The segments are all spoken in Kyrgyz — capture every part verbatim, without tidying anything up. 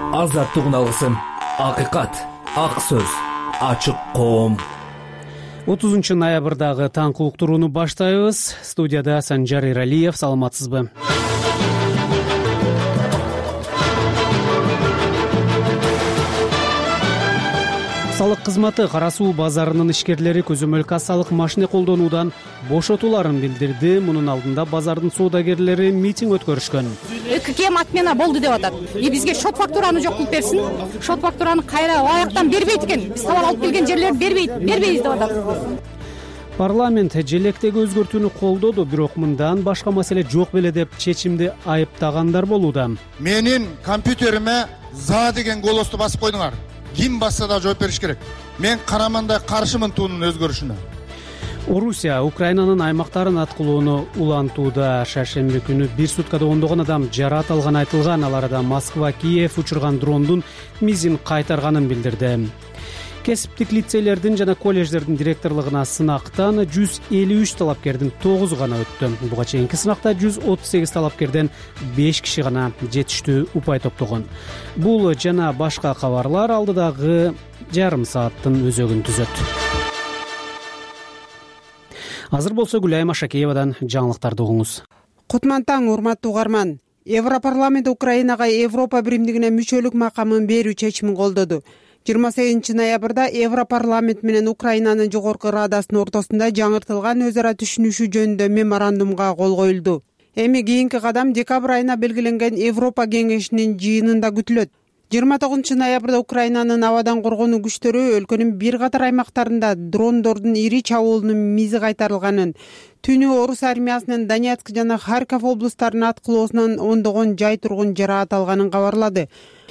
азаттыгын алгысым, акыйкат, ак сөз, ачык коом. отузунчу ноябрдагы таңкы уктурууну баштайбыз. Студияда Санжар Иралиев. Саламатсызбы? Салык кызматы Кара суу базарынын ишкерлери көзөмөл кассалык машина колдонуудан бошотуларын билдирди. Мунун алдында базардын соодагерлери митинг өткөрүшкөн. ККМ отмена болду деп атат. И бизге шот фактураны жок кылып берсин. Шот фактураны кайра аяктан бербейт экен. Биз товар алып келген жерлерди бербейт, бербейбиз деп атат. Парламент желектеги өзгөртүүнү колдоду, бирок мындан башка маселе жок беле деп чечимди айыптагандар болууда. Менин компьютериме за деген голосту басып койдуңар. Ким басса да жооп бериш керек. Мен карамандай каршымын туунун өзгөрүшүнө. Орусия Украинанын аймактарын аткылоону улантууда. Шаршемби күнү бир суткада ондогон адам жараат алганы айтылган. Ал арада Москва Киев учурган дрондун мизин кайтарганын билдирди. Кесиптик лицейлердин жана колледждердин директорлугуна сынактан жүз элүү үч талапкердин тогузу гана өттү. Буга чейинки сынакта жүз отуз сегиз талапкерден беш киши гана жетиштүү упай топтогон. Бул жана башка кабарлар алдыдагы жарым сааттын өзөгүн түзөт. Азыр болсо Гүлайым Ашакеевадан жаңылыктарды угуңуз. Кутман таң, урматтуу угарман. Европарламент Украинага Европа биримдигине мүчөлүк макамын берүү чечимин колдоду. жыйырма сегизинчи ноябрда Европарламент менен Украинанын жогорку радасынын ортосунда жаңыртылган өз ара түшүнүшүү жөнүндө меморандумга кол коюлду. Эми кийинки кадам декабрь айына белгиленген Европа кеңешинин жыйынында күтүлөт. жыйырма тогузунчу ноябрда Украинанын абадан коргонуу күчтөрү өлкөнүн бир катар аймактарында дрондордун ири чабуулунун мизи кайтарылганын, түнү орус армиясынын Донецк жана Харьков облустарынын аткылоосунан ондогон жай тургун жараат алганын кабарлады.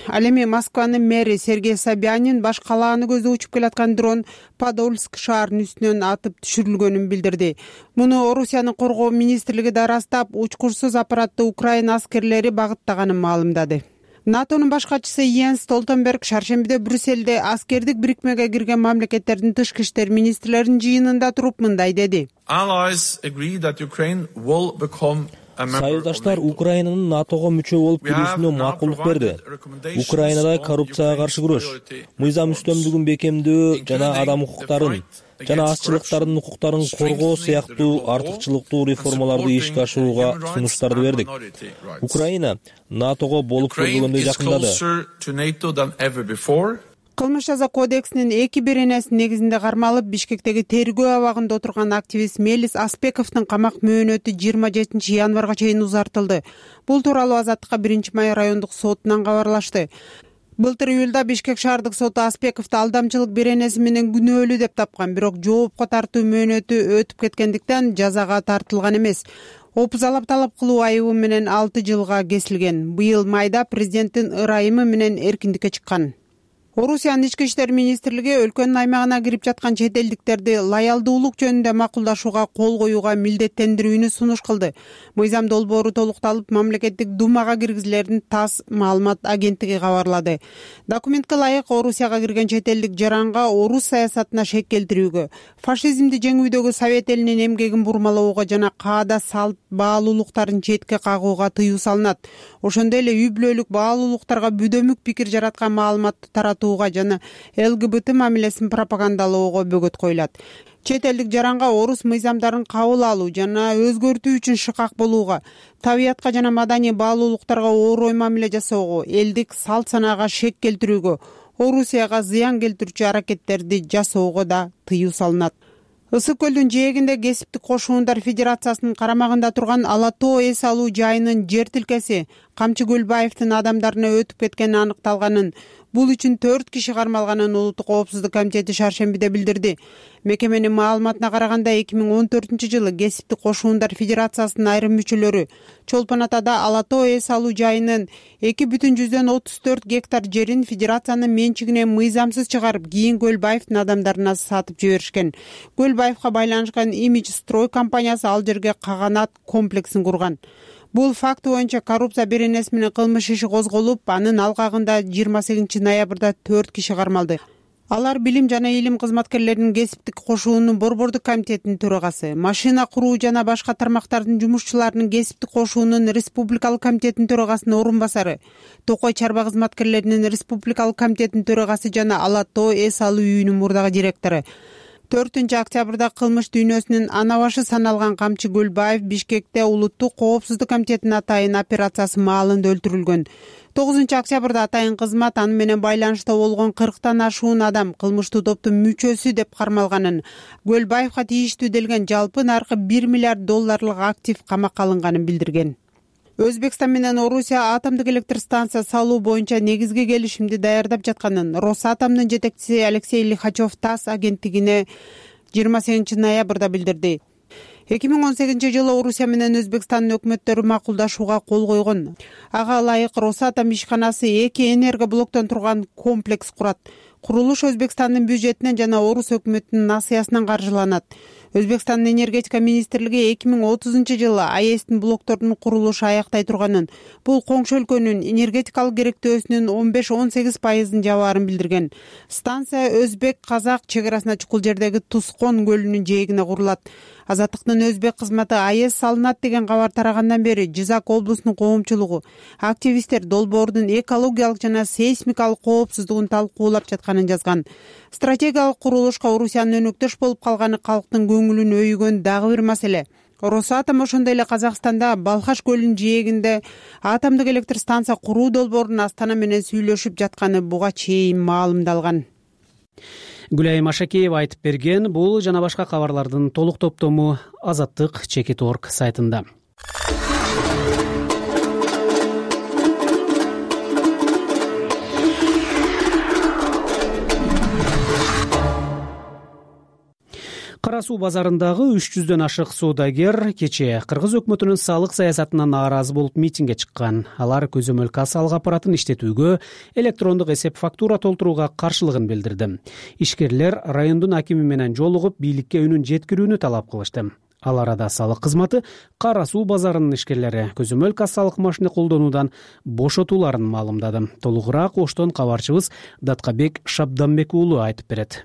Ал эми Москванын мэри Сергей Собянин баш калааны көздөп учуп келаткан дрон Подольск шаарынын үстүнөн атып түшүрүлгөнүн билдирди. Муну Орусиянын коргоо министрлиги да ырастап, учкурсуз аппаратты Украина аскерлери багыттаганын маалымдады. НАТОнун баш катчысы Йенс Столтенберг шаршембиде Брюссельде аскердик бирикмеге кирген мамлекеттердин тышкы иштер министрлеринин жыйынында туруп мындай деди. Союздаштар Украинанын НАТОго мүчө болуп кирүүсүнө макулдук берди. Украинада коррупцияга каршы күрөш, мыйзам үстөмдүгүн бекемдөө жана адам укуктарын жана азчылыктардын укуктарын коргоо сыяктуу артыкчылыктуу реформаларды ишке ашырууга сунуштарды бердик. Украина НАТОго болуп көрбөгөндөй жакындады. Кылмыш жаза кодексинин эки беренеси негизинде кармалып, Бишкектеги тергөө абагында отурган активист Мелис Аспековдун камак мөөнөтү жыйырма жетинчи январга чейин узартылды. Бул тууралуу Азаттыкка биринчи май райондук сотунан кабарлашты. Былтыр июлда Бишкек шаардык соту Аспековду алдамчылык беренеси менен күнөөлүү деп тапкан, бирок жоопко тартуу мөөнөтү өтүп кеткендиктен жазага тартылган эмес. Опузалап талап кылуу айыбы менен алты жылга кесилген. Быйыл майда президенттин ырайымы менен эркиндикке чыккан. Орусиянын ички иштер министрлиги өлкөнүн аймагына кирип жаткан чет элдиктерди лоялдуулук жөнүндө макулдашууга кол коюуга милдеттендирүүнү сунуш кылды. Мыйзам долбоору толукталып, мамлекеттик думага киргизилерин ТАСС маалымат агенттиги кабарлады. Документке ылайык Орусияга кирген чет элдик жаранга орус саясатына шек келтирүүгө, фашизмди жеңүүдөгү Совет элинин эмгегин бурмалоого жана каада салт баалуулуктарын четке кагууга тыюу салынат. Ошондой эле үй бүлөлүк баалуулуктарга бүдөмүк пикир жараткан маалыматты таратуу жана ЛГБТ мамилесин пропагандалоого бөгөт коюлат. Чет элдик жаранга орус мыйзамдарын кабыл алуу жана өзгөртүү үчүн шыкак болууга, табиятка жана маданий баалуулуктарга оорой мамиле жасоого, элдик салт санаага шек келтирүүгө, Орусияга зыян келтирүүчү аракеттерди жасоого да тыюу салынат. Ысык көлдүн жээгинде Кесиптик кошундар федерациясынын карамагында турган Ала тоо эс алуу жайынын жер тилкеси Камчы Көлбаевдин адамдарына өтүп кеткени аныкталганын, бул үчүн төрт киши кармалганын Улуттук коопсуздук комитети шаршембиде билдирди. Мекеменин маалыматына караганда эки миң он төртүнчү жылы Кесиптик кошундар федерациясынын айрым мүчөлөрү Чолпон Атада Ала тоо эс алуу жайынын эки бүтүн жүздөн отуз төрт гектар жерин федерациянын менчигине мыйзамсыз чыгарып, кийин Көлбаевдин адамдарына сатып жиберишкен. Көлбаевга байланышкан Имидж строй компаниясы ал жерге каганат комплексин курган. Бул факт боюнча коррупция беренеси менен кылмыш иши козголуп, анын алкагында жыйырма сегизинчи ноябрда төрт киши кармалды. Алар Билим жана Илим кызматкерлеринин кесиптик кошуунун борбордук комитетинин төрагасы, машина куруу жана башка тармактардын жумушчуларынын кесиптик кошуунун республикалык комитетинин төрагасынын орун басары, Токой чарба кызматкерлеринин республикалык комитетинин төрагасы жана Ала Тоо эс алуу үйүнүн мурдагы директору. төртүнчү октябрда кылмыш дүйнөсүнүн ана башы саналган Камчы Гөлбаев Бишкекте улуттук коопсуздук комитетинин атайын операциясы маалында өлтүрүлгөн. тогузунчу октябрда атайын кызмат аны менен байланышта болгон кырктан ашуун адам кылмыштуу топтун мүчөсү деп кармалганын, Гөлбаевга тийиштүү делген жалпы наркы бир миллиард долларлык актив камакка алынганын билдирген. Өзбекстан менен Орусия атомдук электр станция салуу боюнча негизги келишимди даярдап жатканын Росатомдун жетекчиси Алексей Лихачев ТАСС агенттигине жыйырма сегизинчи ноябрда билдирди. эки миң он сегизинчи жылы Орусия менен Өзбекстандын өкмөттөрү макулдашууга кол койгон. Ага ылайык Росатом ишканасы эки энергоблоктон турган комплекс курат. Курулуш Өзбекстандын бюджетинен жана Орус өкмөтүнүн насыясынан каржыланат. Өзбекстандын энергетика министрлиги эки миң отузунчу жылы АЭСтин блоктордун курулушу аяктай турганын, бул коңшу өлкөнүн энергетикалык керектөөсүнүн он беш он сегиз пайызын жабаарын билдирген. Станция Өзбек-Казак чек арасына чукул жердеги Тускон көлүнүн жээгине курулат. Азаттыктын Өзбек кызматы АЭС салынат деген кабар тарагандан бери Жизак облусунун коомчулугу, активисттер долбоордун экологиялык жана сейсмикалык коопсуздугун талкуулап жатканын жазган. Стратегиялык курулушка Орусиянын өнөктөш болуп калганы калктын көңүлүн өйгөн дагы бир маселе. Росатом ошондой эле Казакстанда Балхаш көлүнүн жээгинде атомдук электр станция куруу долбоорун Астана менен сүйлөшүп жатканы буга чейин маалымдалган. Гүлайым Ашакеева айтып берген. Бул жана башка кабарлардын толук топтому Азаттык чекит точка орг сайтында. Кара суу базарындагы үч жүздөн ашык соодагер кечээ Кыргыз өкмөтүнүн салык саясатына нааразы болуп митингге чыккан. Алар көзөмөл кассалык аппаратын иштетүүгө, электрондук эсеп фактура толтурууга каршылыгын билдирди. Ишкерлер райондун акими менен жолугуп бийликке үнүн жеткирүүнү талап кылышты. Ал арада салык кызматы Кара суу базарынын ишкерлери көзөмөл кассалык машина колдонуудан бошотууларын маалымдады. Толугураак Оштон кабарчыбыз Даткабек Шабданбек уулу айтып берет.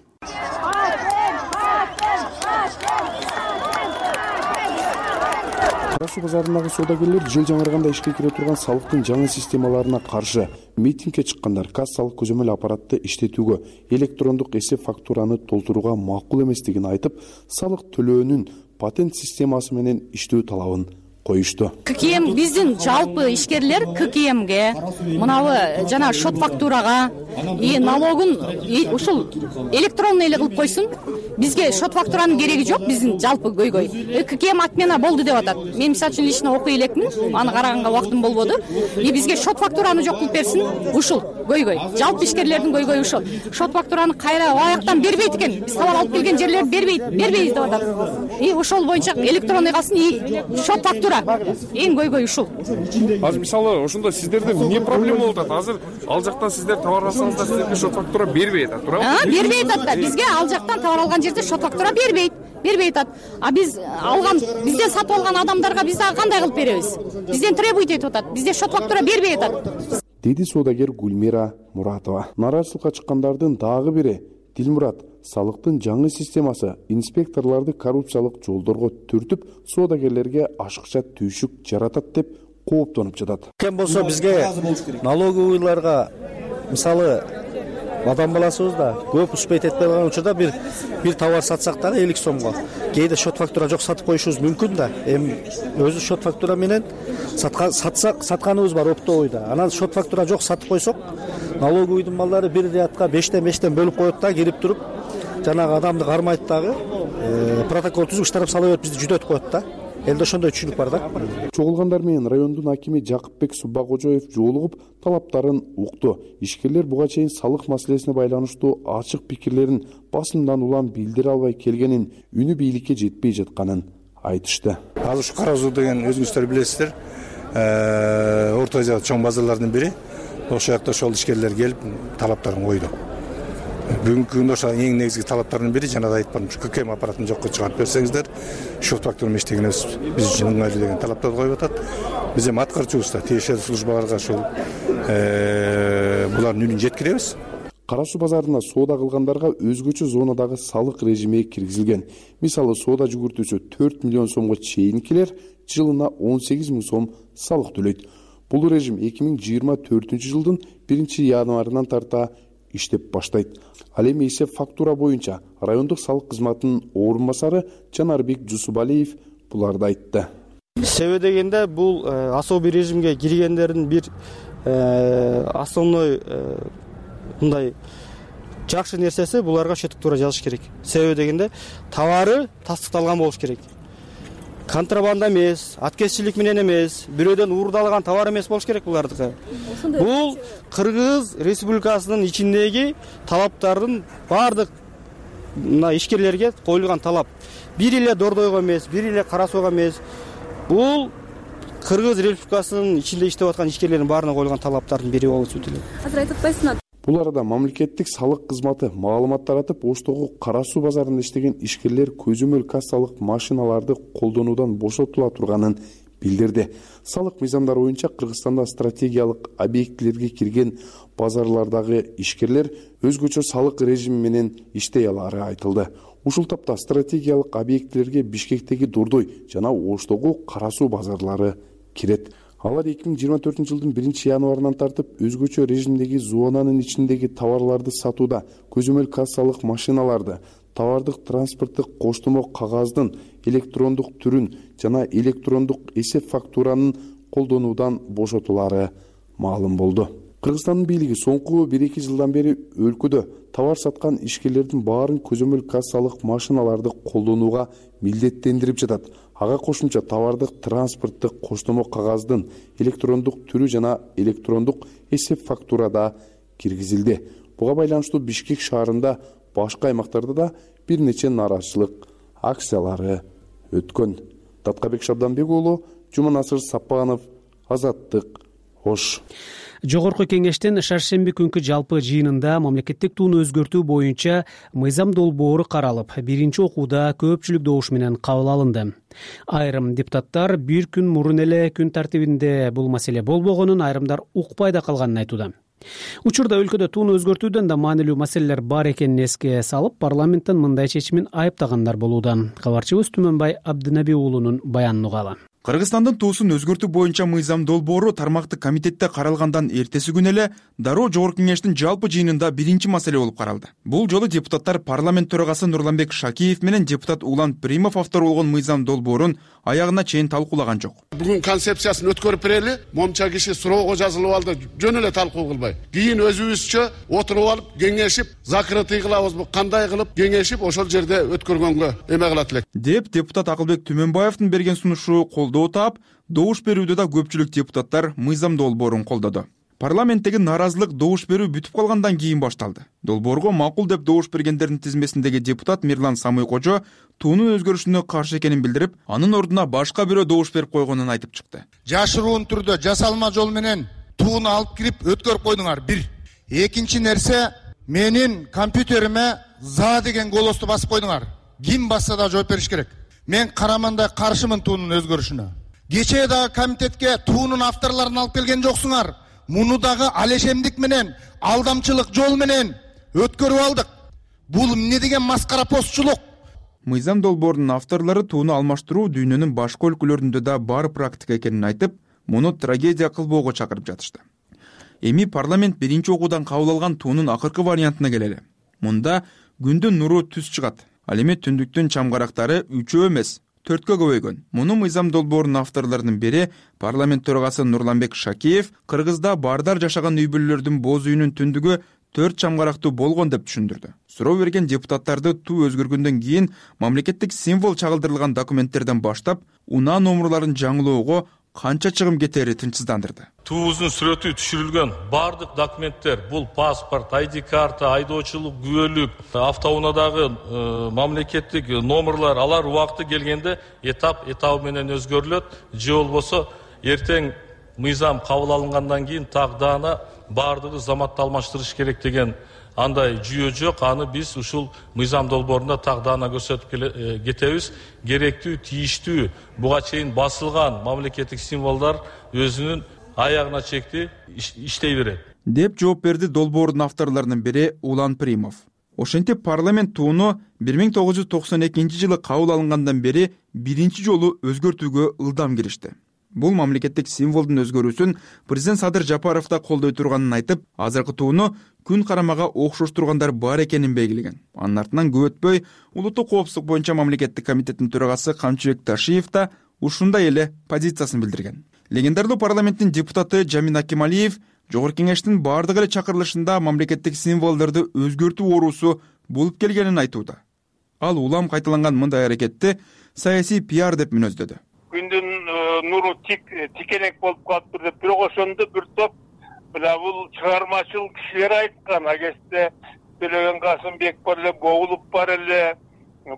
Кара суу базарындагы соодагерлер жыл жаңырганда ишке кире турган салыктын жаңы системаларына каршы митингге чыккандар. Кассалык көзөмөл аппаратты иштетүүгө, электрондук эсеп фактураны толтурууга макул эместигин айтып, салык төлөөнүн патент системасы менен иштөө талабын коюшту. ККМ биздин жалпы ишкерлер ККМге, мынабы жана шот фактурага и налогун ушул электронный эле кылып койсун. Бизге шот фактуранын кереги жок, биздин жалпы көйгөй. ККМ отмена болду деп атат. Мен мисалы үчүн лично окуй элекмин, аны караганга убактым болбоду. И бизге шот фактураны жок кылып берсин. Ушул көйгөй. Жалпы ишкерлердин көйгөйү ушул. Шот фактураны кайра аяктан бербейт экен. Биз товар алып келген жерлер бербейт, бербейбиз деп атат. И ошол боюнча электронный калсын, и шот фактура. Эң көйгөй ушул. Азыр мисалы ошондо сиздерде эмне проблема болуп атат? Азыр ал жактан сиздер товар алсаңыздар, сиздерге шот фактура бербей атат, туурабы? А, бербей атат да. Бизге ал жактан товар алган жерде шот фактура бербейт. Бербей атат. А биз алган, бизден сатып алган адамдарга биз дагы кандай кылып беребиз? Бизден требуйт этип атат. Бизде шот фактура бербей атат. Деди соодагер Гүлмира Муратова. Нараачылыкка чыккандардын дагы бири Дилмурат. Салыктын жаңы системасы инспекторлорду коррупциялык жолдорго түртүп, соодагерлерге ашыкча түйшүк жаратат деп кооптонуп жатат. Кем болсо бизге налоговыйларга мисалы адам баласыбыз да көп успейт этпей калган учурда бир бир товар сатсак дагы элүү сомго. Кээде шот фактура жок сатып коюшубуз мүмкүн да. Эми өзү шот фактура менен саткан сатсак сатканыбыз бар оптовыйда. Анан шот фактура жок сатып койсок, налоговыйдын малдары бир рядка бештен бештен бөлүп коет да, кирип туруп жанагы адамды кармайт дагы, протокол түзүп штраф сала берип бизди жүдөтүп коет да. Элде ошондой түшүнүк бар да. Чогулгандар менен райондун акими Жакыпбек Суббакожоев жолугуп талаптарын укту. Ишкерлер буга чейин салык маселесине байланыштуу ачык пикирлерин басымдан улам билдире албай келгенин, үнү бийликке жетпей жатканын айтышты. Азыр ушу Кара суу деген өзүңүздөр билесиздер, Орто Азиядагы чоң базарлардын бири. Ошол жакта ошол ишкерлер келип талаптарын койду. Бүгүнкү күндө ошо эң негизги талаптардын бири жанагы айтпадым, ККМ аппаратын жокко чыгарып берсеңиздер, шот фактураны иштегенибиз биз үчүн ыңгайлуу деген талаптарды коюп атат. Биз эми аткарчубуз да тиешелүү службаларга ошол булардын үнүн жеткиребиз. Кара суу базарына соода кылгандарга өзгөчө зонадагы салык режими киргизилген. Мисалы, соода жүгүртүүсү төрт миллион сомго чейинкилер жылына он сегиз миң сом салык төлөйт. Бул режим эки миң жыйырма төртүнчү жылдын биринчи январынан тарта иштеп баштайт. Ал эми эсеп фактура боюнча райондук салык кызматынын орун басары Жанарбек Жусубалиев буларды айтты. Себеби дегенде бул особый режимге киргендердин бир основной мындай жакшы нерсеси буларга счет фактура жазыш керек. Себеби дегенде товары тастыкталган болуш керек. Контрабанда эмес, аткезчилик менен эмес, бирөөдөн уурдалган товар эмес болуш керек булардыкы. Бул Кыргыз Республикасынын ичиндеги талаптардын бардык мына ишкерлерге коюлган талап. Бир эле Дордойго эмес, бир эле Кара Сууга эмес. Бул Кыргыз Республикасынын ичинде иштеп аткан ишкерлердин баарына коюлган талаптардын бири болуп өтүлөт. Азыр айтып атпайсыңар? Бул арада мамлекеттик салык кызматы маалымат таратып, Оштогу Кара Суу базарында иштеген ишкерлер көзөмөл кассалык машиналарды колдонуудан бошотула турганын билдирди. Салык мыйзамдары боюнча Кыргызстанда стратегиялык объектилерге кирген базарлардагы ишкерлер өзгөчө салык режими менен иштей алары айтылды. Ушул тапта стратегиялык объектилерге Бишкектеги Дордой жана Оштогу Кара Суу базарлары кирет. Алар эки миң жыйырма төртүнчү жылдын биринчи январынан тартып өзгөчө режимдеги зонанын ичиндеги товарларды сатууда көзөмөл кассалык машиналарды, товардык транспорттук коштомо кагаздын электрондук түрүн жана электрондук эсеп фактуранын колдонуудан бошотулары маалым болду. Кыргызстандын бийлиги соңку бир эки жылдан бери өлкөдө товар саткан ишкерлердин баарын көзөмөл кассалык машиналарды колдонууга милдеттендирип жатат. Ага кошумча товардык транспорттук коштомо кагаздын электрондук түрү жана электрондук эсеп фактурада киргизилди. Буга байланыштуу Бишкек шаарында башка аймактарда да бир нече нааразычылык акциялары өткөн. Таткабек Шабданбек уулу, Жуманасыр Сапанов, Азаттык, Ош. Жогорку кеңештин шаршемби күнкү жалпы жыйынында мамлекеттик тууну өзгөртүү боюнча мыйзам долбоору каралып, биринчи окууда көпчүлүк добуш менен кабыл алынды. Айрым депутаттар бир күн мурун эле күн тартибинде бул маселе болбогонун, айрымдар укпай да калганын айтууда. Учурда өлкөдө тууну өзгөртүүдөн да маанилүү маселелер бар экенин эске салып, парламенттин мындай чечимин айыптагандар болууда. Кабарчыбыз Түмөнбай Абдынаби уулунун баянын угалы. Кыргызстандын туусун өзгөртүү боюнча мыйзам долбоору тармактык комитетте каралгандан эртеси күнү эле дароо жогорку кеңештин жалпы жыйынында биринчи маселе болуп каралды. Бул жолу депутаттар парламент төрагасы Нурланбек Шакиев менен депутат Улан Примов автор болгон мыйзам долбоорун аягына чейин талкуулаган жок. Бүгүн концепциясын өткөрүп берели, момча киши суроого жазылып алды, жөн эле талкуу кылбай. Кийин өзүбүзчө отуруп алып, кеңешип, закрытый кылабызбы, кандай кылып кеңешип, ошол жерде өткөргөнгө эме кылат элек. Деп депутат Акылбек Түмөнбаевдин берген сунушу колдоо таап, добуш берүүдө да көпчүлүк депутаттар мыйзам долбоорун колдоду. Парламенттеги нааразылык добуш берүү бүтүп калгандан кийин башталды. Долбоорго макул деп добуш бергендердин тизмесиндеги депутат Мирлан Самый-Кожо туунун өзгөрүшүнө каршы экенин билдирип, анын ордуна башка бирөө добуш берип койгонун айтып чыкты. Жашыруун түрдө жасалма жол менен тууну алып кирип өткөрүп койдуңар. Бир. Экинчи нерсе, менин компьютериме за деген голосту басып койдуңар. Ким басса да жооп бериш керек. Мен карамандай каршымын туунун өзгөрүшүнө. Кечээ дагы комитетке туунун авторлорун алып келген жоксуңар. Муну дагы алешемдик менен, алдамчылык жол менен өткөрүп алдык. Бул эмне деген маскара постчулук? Мыйзам долбоорунун авторлору тууну алмаштыруу дүйнөнүн башка өлкөлөрүндө да бар практика экенин айтып, муну трагедия кылбоого чакырып жатышты. Эми парламент биринчи окуудан кабыл алган туунун акыркы вариантына келели. Мунда күндүн нуру түз чыгат. Ал эми түндүктүн чамгарактары үчөө эмес, төрткө көбөйгөн. Муну мыйзам долбоорунун авторлорунун бири парламент төрагасы Нурланбек Шакиев Кыргызда бардар жашаган үй бүлөлөрдүн боз үйүнүн түндүгү төрт чамгарактуу болгон деп түшүндүрдү. Суроо берген депутаттарды туу өзгөргөндөн кийин мамлекеттик символ чагылдырылган документтерден баштап унаа номурларын жаңылоого канча чыгым кетери тынчсыздандырды. Туубуздун сүрөтү түшүрүлгөн бардык документтер, бул паспорт, ай ди карта, айдоочулук күбөлүк, автоунаадагы э, мамлекеттик номерлар, алар убакыты келгенде этап этабы менен өзгөрүлөт. Же болбосо эртең мыйзам кабыл алынгандан кийин так даана бардыгы заматты алмаштырыш керек деген андай жүйө жок. Аны биз ушул мыйзам долбоорунда так даана көрсөтүп кетебиз. Керектүү, тийиштүү, буга чейин басылган мамлекеттик символдар өзүнүн аягына чекти иштей берет. деп жооп берди долбоордун авторлорунун бири Улан Примов. Ошентип парламент тууну бир миң тогуз жүз токсон экинчи жылы кабыл алынгандан бери биринчи жолу өзгөртүүгө ылдам киришти. Бул мамлекеттик символдун өзгөрүүсүн президент Садыр Жапаров да колдой турганын айтып, азыркы тууну күн карамага окшоштургандар бар экенин белгилеген. Анын артынан көп өтпөй улуттук коопсуздук боюнча мамлекеттик комитеттин төрагасы Камчыбек Ташиев да ушундай эле позициясын билдирген. Легендарлуу парламенттин депутаты Жамин Акималиев Жогорку кеңештин бардык эле чакырылышында мамлекеттик символдорду өзгөртүү оорусу болуп келгенин айтууда. Ал улам кайталанган мындай аракетти саясий пиар деп мүнөздөдү. Күндүн нуру тик тикенек болуп калыптыр деп бирок ошондо бир топ мына бул чыгармачыл кишилер айткан. Агесте Төлөгөн Касымбек бар эле, Гоулуп бар эле,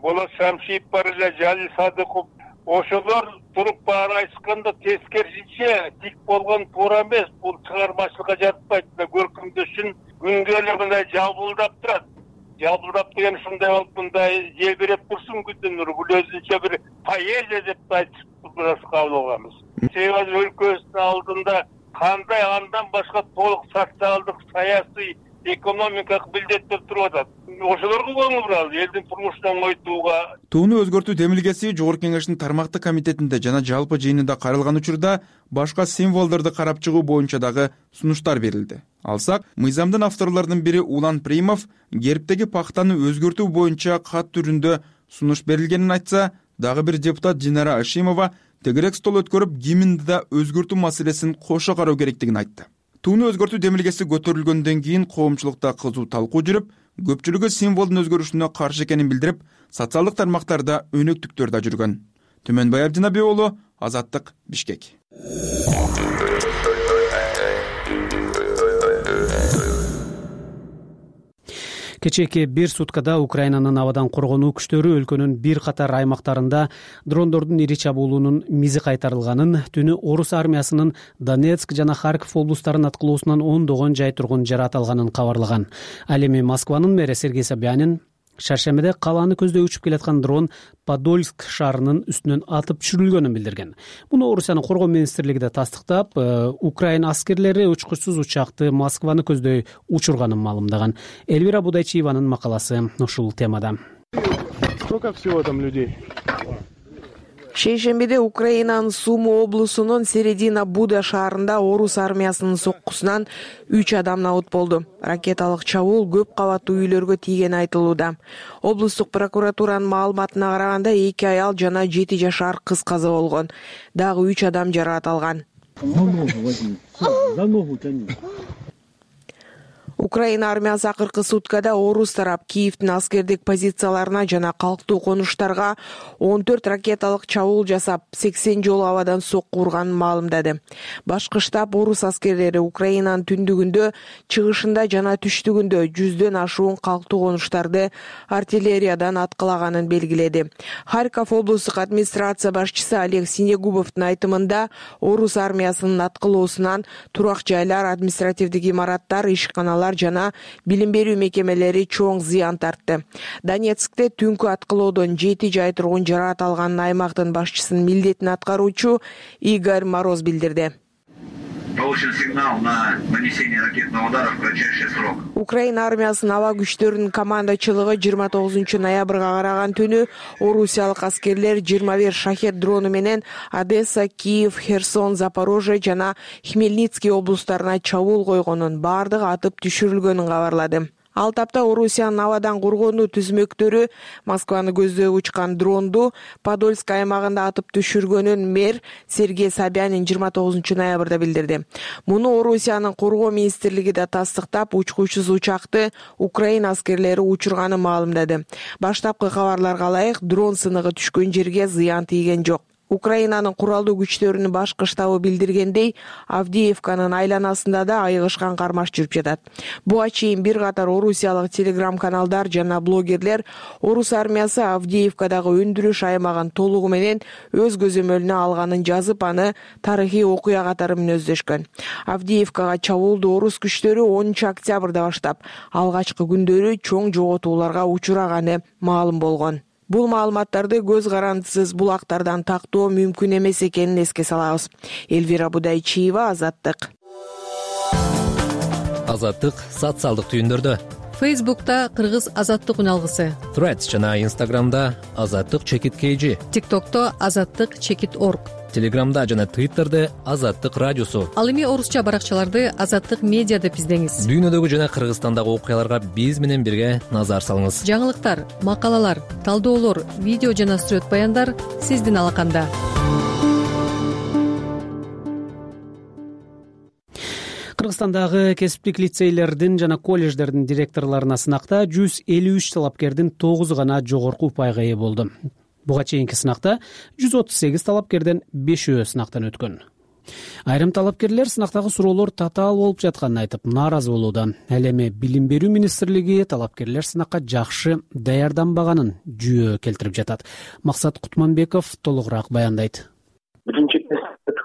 Болот Шамшиев бар эле, Жалил Садыков. Ошолор туруп баары айтышканда тескерисинче тик болгон туура эмес. Бул чыгармачылыкка жатпайт. Көркөмдөшүн күнгө эле мындай жалбылдап турат. Жалбылдап деген ушундай болуп мындай желбиреп турсун күндүн нуру. Бул өзүнчө бир поэзия деп айтып кабыл алганбыз. Себеби өлкөбүздүн алдында кандай андан башка толук социалдык, саясий, экономикалык милдеттер туруп атат. Ошолорго көңүл буралы, элдин турмушун оңойтууга. Тууну өзгөртүү демилгеси Жогорку кеңештин тармактык комитетинде жана жалпы жыйынында каралган учурда башка символдорду карап чыгуу боюнча дагы сунуштар берилди. Алсак, мыйзамдын авторлорунун бири Улан Примов гербтеги пактаны өзгөртүү боюнча кат түрүндө сунуш берилгенин айтса, дагы бир депутат Динара Ашимова тегерек стол өткөрүп гимнди да өзгөртүү маселесин кошо кароо керектигин айтты. Тууну өзгөртүү демилгеси көтөрүлгөндөн кийин коомчулукта кызуу талкуу жүрүп, көпчүлүгү символдун өзгөрүшүнө каршы экенин билдирип, социалдык тармактарда өнөктүктөр да жүргөн. Түмөнбай Абдинабек уулу, Азаттык, Бишкек. Кечээки бир суткада Украинанын абадан коргонуу күчтөрү өлкөнүн бир катар аймактарында дрондордун ири чабуулунун мизи кайтарылганын, түнү орус армиясынын Донецк жана Харьков облустарын аткылоосунан ондогон жай тургун жараат алганын кабарлаган. Ал эми Москванын мэри Сергей Собянин шаршембиде калааны көздөй учуп келаткан дрон Подольск шаарынын үстүнөн атып түшүрүлгөнүн билдирген. Муну Орусиянын коргоо министрлиги да тастыктап, Украина аскерлери учкучсуз учакты Москваны көздөй учурганын маалымдаган. Эльвира Будайчиеванын макаласы ушул темада. Сколько всего там людей? Шейшембиде Украинанын Сумы облусунун Середина Буда шаарында орус армиясынын соккусунан үч адам набыт болду. Ракеталык чабуул көп кабаттуу үйлөргө тийгени айтылууда. Облустук прокуратуранын маалыматына караганда эки аял жана жети жашар кыз каза болгон. Дагы үч адам жараат алган. Украина армиясы акыркы суткада орус тарап Киевдин аскердик позицияларына жана калктуу конуштарга он төрт ракеталык чабуул жасап, сексен жолу абадан сокку урганын маалымдады. Башкы штаб орус аскерлери Украинанын түндүгүндө, чыгышында жана түштүгүндө жүздөн ашуун калктуу конуштарды артиллериядан аткылаганын белгиледи. Харьков облустук администрация башчысы Олег Синегубовдун айтымында орус армиясынын аткылоосунан турак жайлар, административдик имараттар, ишканалар жана билим берүү мекемелери чоң зыян тартты. Донецкте түнкү аткылоодон жети жай тургун жараат алганын аймактын башчысынын милдетин аткаруучу Игорь Мороз билдирди. Получен сигнал на нанесение ракетного удара в кратчайший срок. Украина армиясынын аба күчтөрүнүн командачылыгы жыйырма тогузунчу ноябрга караган түнү орусиялык аскерлер жыйырма бир шахет дрону менен Одесса, Киев, Херсон, Запорожье жана Хмельницкий облустарына чабуул койгонун, бардыгы атып түшүрүлгөнүн кабарлады. Ал тапта Орусиянын абадан коргонуу түзмөктөрү Москваны көздөй учкан дронду Подольск аймагында атып түшүргөнүн мэр Сергей Собянин жыйырма тогузунчу ноябрда билдирди. Муну Орусиянын коргоо министрлиги да тастыктап, учкучсуз учакты Украина аскерлери учурганын маалымдады. Баштапкы кабарларга ылайык, дрон сыныгы түшкөн жерге зыян тийген жок. Украинанын куралдуу күчтөрүнүн башкы штабы билдиргендей, Авдеевканын айланасында да айыгышкан кармаш жүрүп жатат. Буга чейин бир катар орусиялык телеграм-каналдар жана блогерлер орус армиясы Авдеевкадагы өндүрүш аймагын толугу менен өз көзөмөлүнө алганын жазып, аны тарыхый окуя катары мүнөздөшкөн. Авдеевкага чабуулду орус күчтөрү онунчу октябрда баштап, алгачкы күндөрү чоң жоготууларга учураганы маалым болгон. Бул маалыматтарды көз карандысыз булактардан тактоо мүмкүн эмес экенин эске салабыз. Эльвира Будайчиева, Азаттык. Азаттык социалдык түйүндөрдө. Фейсбукта Кыргыз азаттык үналгысы, Threads жана Instagramда азаттык чекит kg, TikTokто азаттык чекит орг, Телеграмда жана Twitterде азаттык радиосу. Ал эми орусча баракчаларды азаттык медиа деп издеңиз. Дүйнөдөгү жана Кыргызстандагы окуяларга биз менен бирге назар салыңыз. Жаңылыктар, макалалар, талдоолор, видео жана сүрөт баяндар сиздин алаканда. Кыргызстандагы кесиптик лицейлердин жана колледждердин директорлоруна сынакта жүз элүү үч талапкердин тогузу гана жогорку упайга ээ болду. Буга чейинки сынакта жүз отуз сегиз талапкерден бешөө сынактан өткөн. Айрым талапкерлер сынактагы суроолор татаал болуп жатканын айтып нааразы болууда. Ал эми Билим берүү министрлиги талапкерлер сынакка жакшы даярданбаганын жүйө келтирип жатат. Максат Кутманбеков толугураак баяндайт. Биринчи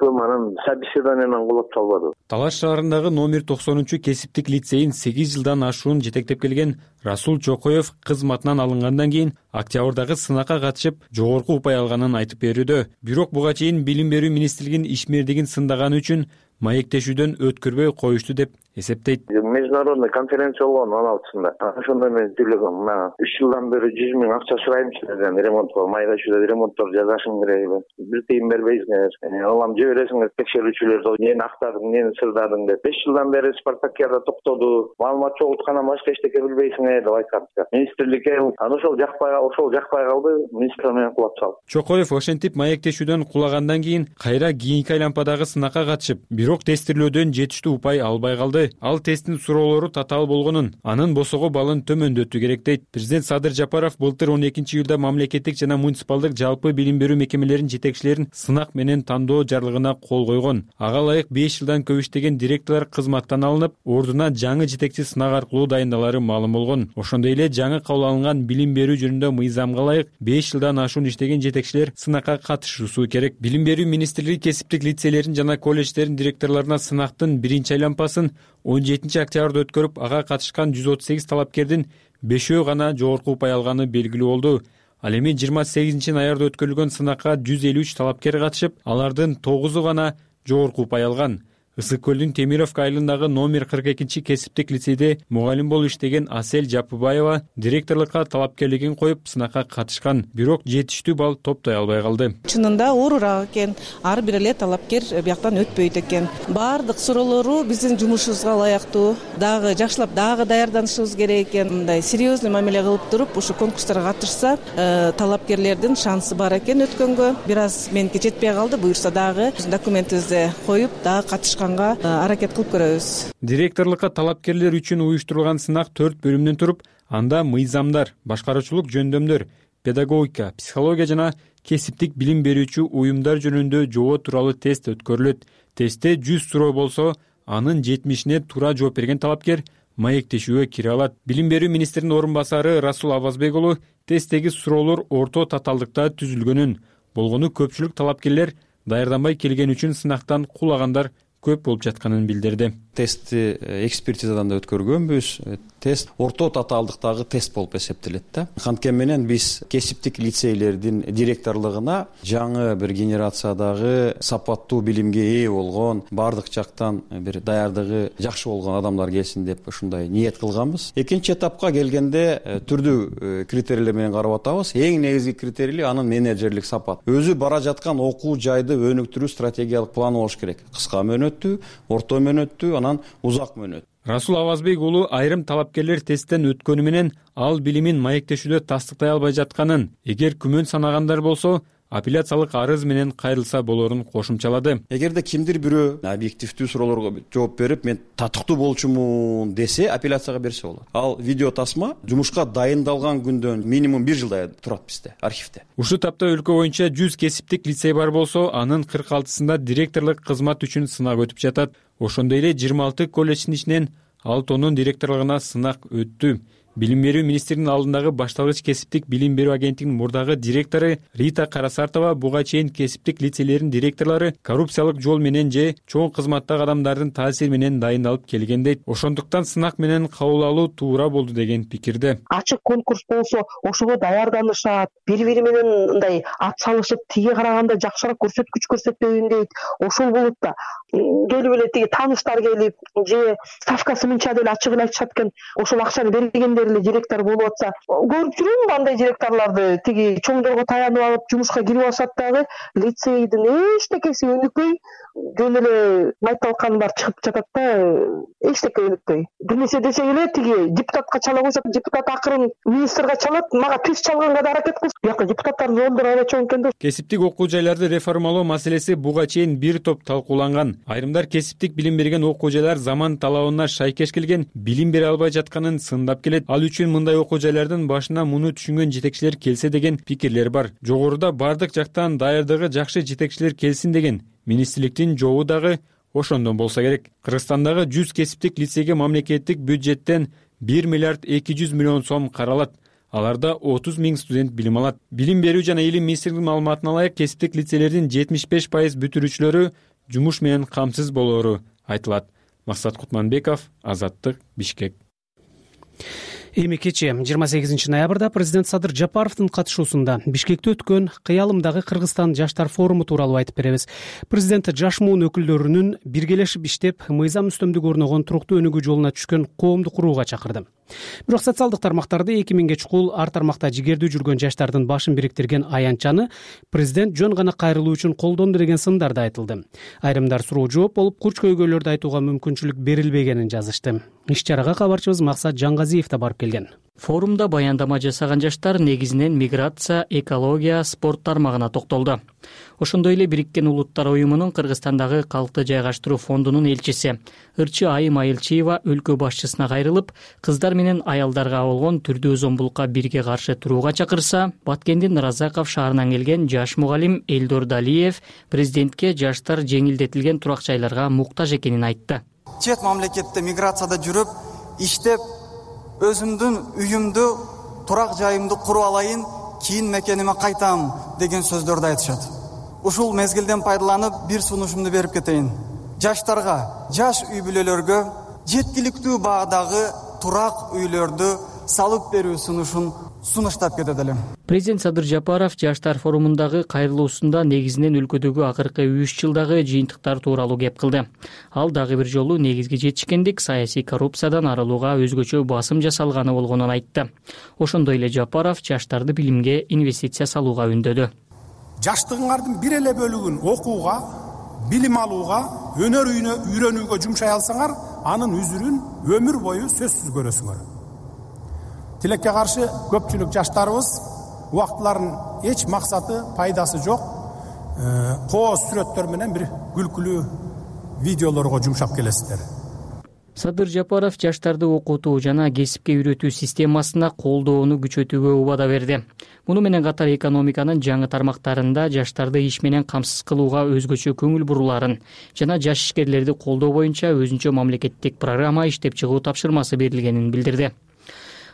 анан собеседованиядан кулап чалбады. Талаш шаарындагы номер токсонунчу кесиптик лицейин сегиз жылдан ашуун жетектеп келген Расул Чокоев кызматынан алынгандан кийин октябрдагы сынакка катышып жогорку упай алганын айтып берүүдө. Бирок буга чейин Билим берүү министрлигинин ишмердигин сындаганы үчүн маектешүүдөн өткөрбөй коюшту деп эсептейт. Международный конференция болгон он алтысында. Ошондо мен сүйлөгөм. Мына үч жылдан бери жүз миң акча сурайымчы деген ремонтко, маектешүүдө ремонттор жасашым керек. Бир тыйын бербейсиңер. Алам же бересиңер текшерүүчүлөрдү, эмнени актадың, эмнени сырдадың деп. беш жылдан бери Спартакиада токтоду. Маалымат чогулткандан башка эчтеке билбейсиңер деп айткан. Министрликке анан ошол жакпай, ошол жакпай калды. Министр менен кулап чалды. Чокоев ошентип маектешүүдөн кулагандан кийин кайра кийинки айланпадагы сынакка катышып, бирок тестирлөөдөн жетиштүү упай албай калды. Ал тесттин суроолору татаал болгонун, анын босого балын төмөндөтүү керек дейт. Президент Садыр Жапаров былтыр он экинчи июлда мамлекеттик жана муниципалдык жалпы билим берүү мекемелеринин жетекчилерин сынак менен тандоо жарлыгына кол койгон. Ага ылайык беш жылдан көп иштеген директорлор кызматтан алынып, ордуна жаңы жетекчи сынак аркылуу дайындалары маалым болгон. Ошондой эле жаңы кабыл алынган билим берүү жөнүндө мыйзамга ылайык беш жылдан ашуун иштеген жетекчилер сынакка катышуусу керек. Билим берүү министрлиги кесиптик лицейлердин жана колледждердин директорлоруна сынактын биринчи айланпасын он жетинчи октябрда өткөрүп, ага катышкан жүз отуз сегиз талапкердин бешөө гана жогорку упай алганы белгилүү болду. Ал эми жыйырма сегизинчи ноябрда өткөрүлгөн сынакка жүз элүү үч талапкер катышып, алардын тогузу гана жогорку упай алган. Ысык көлдүн Темировка айылындагы номер кырк экинчи кесиптик лицейде мугалим болуп иштеген Асель Жапыбаева директорлукка талапкерлигин коюп сынакка катышкан, бирок жетиштүү балл топтой албай калды. Чынында оорураак экен, ар бир эле талапкер бияктан өтпөйт экен. Баардык суроолору биздин жумушубузга ылайыктуу, дагы жакшылап дагы даярданышыбыз керек экен. Мындай серьезный мамиле кылып туруп, ушу конкурстарга катышса, талапкерлердин шансы бар экен өткөнгө. Бир аз меники жетпей калды, буюрса дагы документибизди коюп, дагы катышкан аракет кылып көрөбүз. Директорлукка талапкерлер үчүн уюштурулган сынак төрт бөлүмдөн туруп, анда мыйзамдар, башкаруучулук жөндөмдөр, педагогика, психология жана кесиптик билим берүүчү уюмдар жөнүндө жобо тууралуу тест өткөрүлөт. Тестте жүз суроо болсо, анын жетимишине туура жооп берген талапкер маектешүүгө кире алат. Билим берүү министринин орун басары Расул Авазбек уулу тесттеги суроолор орто татаалдыкта түзүлгөнүн, болгону көпчүлүк талапкерлер даярданбай келген үчүн сынактан кулагандар көп болуп жатканын билдирди. Тестти экспертизадан да өткөргөнбүз. Тест орто татаалдыктагы тест болуп эсептелет да. Канткен менен биз кесиптик лицейлердин директорлугуна жаңы бир генерациядагы сапаттуу билимге ээ болгон, бардык жактан бир даярдыгы жакшы болгон адамдар келсин деп ушундай ниет кылганбыз. Экинчи этапка келгенде түрдүү критерийлер менен карап атабыз. Эң негизги критерий анын менеджерлик сапат. Өзү бара жаткан окуу жайды өнүктүрүү стратегиялык планы болуш керек. Кыска мөөнөттүү, орто мөөнөттүү, анан узак мөөнөт. Расул Авазбек уулу айрым талапкерлер тесттен өткөнү менен ал билимин маектешүүдө тастыктай албай жатканын, эгер күмөн санагандар болсо, апелляциялык арыз менен кайрылса болорун кошумчалады. Эгерде кимдир бирөө объективдүү суроолорго жооп берип, мен татыктуу болчумун десе, апелляцияга берсе болот. Ал видео тасма жумушка дайындалган күндөн минимум бир жылдай турат бизде, архивде. Ушул тапта өлкө боюнча жүз кесиптик лицей бар болсо, анын кырк алтысында директорлук кызмат үчүн сынак өтүп жатат. Ошондой эле жыйырма алты колледждин ичинен алтыонун директорлугуна сынак өттү. Билим берүү министринин алдындагы башталгыч кесиптик билим берүү агенттигинин мурдагы директору Рита Карасартова буга чейин кесиптик лицейлердин директорлору коррупциялык жол менен же чоң кызматтагы адамдардын таасири менен дайындалып келген дейт. Ошондуктан сынак менен кабыл алуу туура болду деген пикирде. Ачык конкурс болсо ошого даярданышат, бири-бири менен мындай ат салышып, тиги караганда жакшыраак көрсөткүч көрсөтпөйүн дейт. Ошол болот да. Келип эле тиги тааныштар келип, же ставкасы мынча деле ачык эле айтышат экен. Ошол акчаны бергендер эле директор болуп атса, көрүп жүрөм андай директорлорду, тиги чоңдорго таянып алып жумушка кирип алышат дагы лицейдин эчтекеси өнүкпөй, жөн эле майталканы бар чыгып жатат да, эчтеке өнүкпөй. Бир нерсе десек эле тиги депутатка чала койсот, депутат акырын министрге чалат, мага түз чалганга да аракет кылып, бияка депутаттардын жондору аябай чоң экен да. Кесиптик окуу жайларды реформалоо маселеси буга чейин бир топ талкууланган. Айрымдар кесиптик билим берген окуу жайлар заман талабына шайкеш келген, билим бере албай жатканын сындап келет. Ал үчүн мындай окуу жайлардын башына муну түшүнгөн жетекчилер келсе деген пикирлер бар. Жогоруда бардык жактан даярдыгы жакшы жетекчилер келсин деген министрликтин жообу дагы ошондон болсо керек. Кыргызстандагы жүз кесиптик лицейге мамлекеттик бюджеттен бир миллиард эки жүз миллион сом каралат. Аларда отуз миң студент билим алат. Билим берүү жана илим министрлигинин маалыматына ылайык, кесиптик лицейлердин жетимиш беш пайыз бүтүрүүчүлөрү жумуш менен камсыз болоору айтылат. Максат Кутманбеков, Азаттык, Бишкек. Эми кечээ жыйырма сегизинчи ноябрда президент Садыр Жапаровдун катышуусунда Бишкекте өткөн Кыялымдагы Кыргызстан жаштар форуму тууралуу айтып беребиз. Президент жаш муун өкүлдөрүнүн биргелешип иштеп, мыйзам үстөмдүк орногон туруктуу өнүгүү жолуна түшкөн коомду курууга чакырды. Бирок социалдык тармактарда эки миңге чукул ар тармакта жигердүү жүргөн жаштардын башын бириктирген аянтчаны президент жөн гана кайрылуу үчүн колдонду деген сындар да айтылды. Айрымдар суроо жооп болуп, курч көйгөйлөрдү айтууга мүмкүнчүлүк берилбегенин жазышты. Иш чарага кабарчыбыз Максат Жаңгазиев да барып келген. Форумда баяндама жасаган жаштар негизинен миграция, экология, спорт тармагына токтолду. Ошондой эле Бириккен Улуттар уюмунун Кыргызстандагы калкты жайгаштыруу фондунун элчиси Ырчы Айым Айылчиева өлкө башчысына кайрылып, кыздар менен аялдарга болгон түрдүү зомбулукка бирге каршы турууга чакырса, Баткендин Разаков шаарынан келген жаш мугалим Элдор Далиев президентке жаштар жеңилдетилген турак жайларга муктаж экенин айтты. Чет мамлекетте миграцияда жүрүп, иштеп, өзүмдүн үйүмдү, турак жайымды куруп алайын, кийин мекениме кайтам деген сөздөрдү айтышат. Ушул мезгилден пайдаланып, бир сунушумду берип кетейин. Жаштарга, жаш үй бүлөлөргө жеткиликтүү баадагы турак үйлөрдү салып берүү сунушун сунуштап кетет элем. Президент Садыр Жапаров жаштар форумундагы кайрылуусунда негизинен өлкөдөгү акыркы үч жылдагы жыйынтыктар тууралуу кеп кылды. Ал дагы бир жолу негизги жетишкендик саясий коррупциядан арылууга өзгөчө басым жасалганы болгонун айтты. Ошондой эле Жапаров жаштарды билимге инвестиция салууга үндөдү. Жаштыгыңардын бир эле бөлүгүн окууга, билим алууга, өнөр үйрөнүүгө жумшай алсаңар, анын үзүрүн өмүр бою сөзсүз көрөсүңөр. Тилекке каршы көпчүлүк жаштарыбыз убактыларын эч максаты, пайдасы жок, кооз сүрөттөр менен бир күлкүлүү видеолорго жумшап келесиздер. Садыр Жапаров жаштарды окутуу жана кесипке үйрөтүү системасына колдоону күчөтүүгө убада берди. Муну менен катар экономиканын жаңы тармактарында жаштарды иш менен камсыз кылууга өзгөчө көңүл буруларын жана жаш ишкерлерди колдоо боюнча өзүнчө мамлекеттик программа иштеп чыгуу тапшырмасы берилгенин билдирди.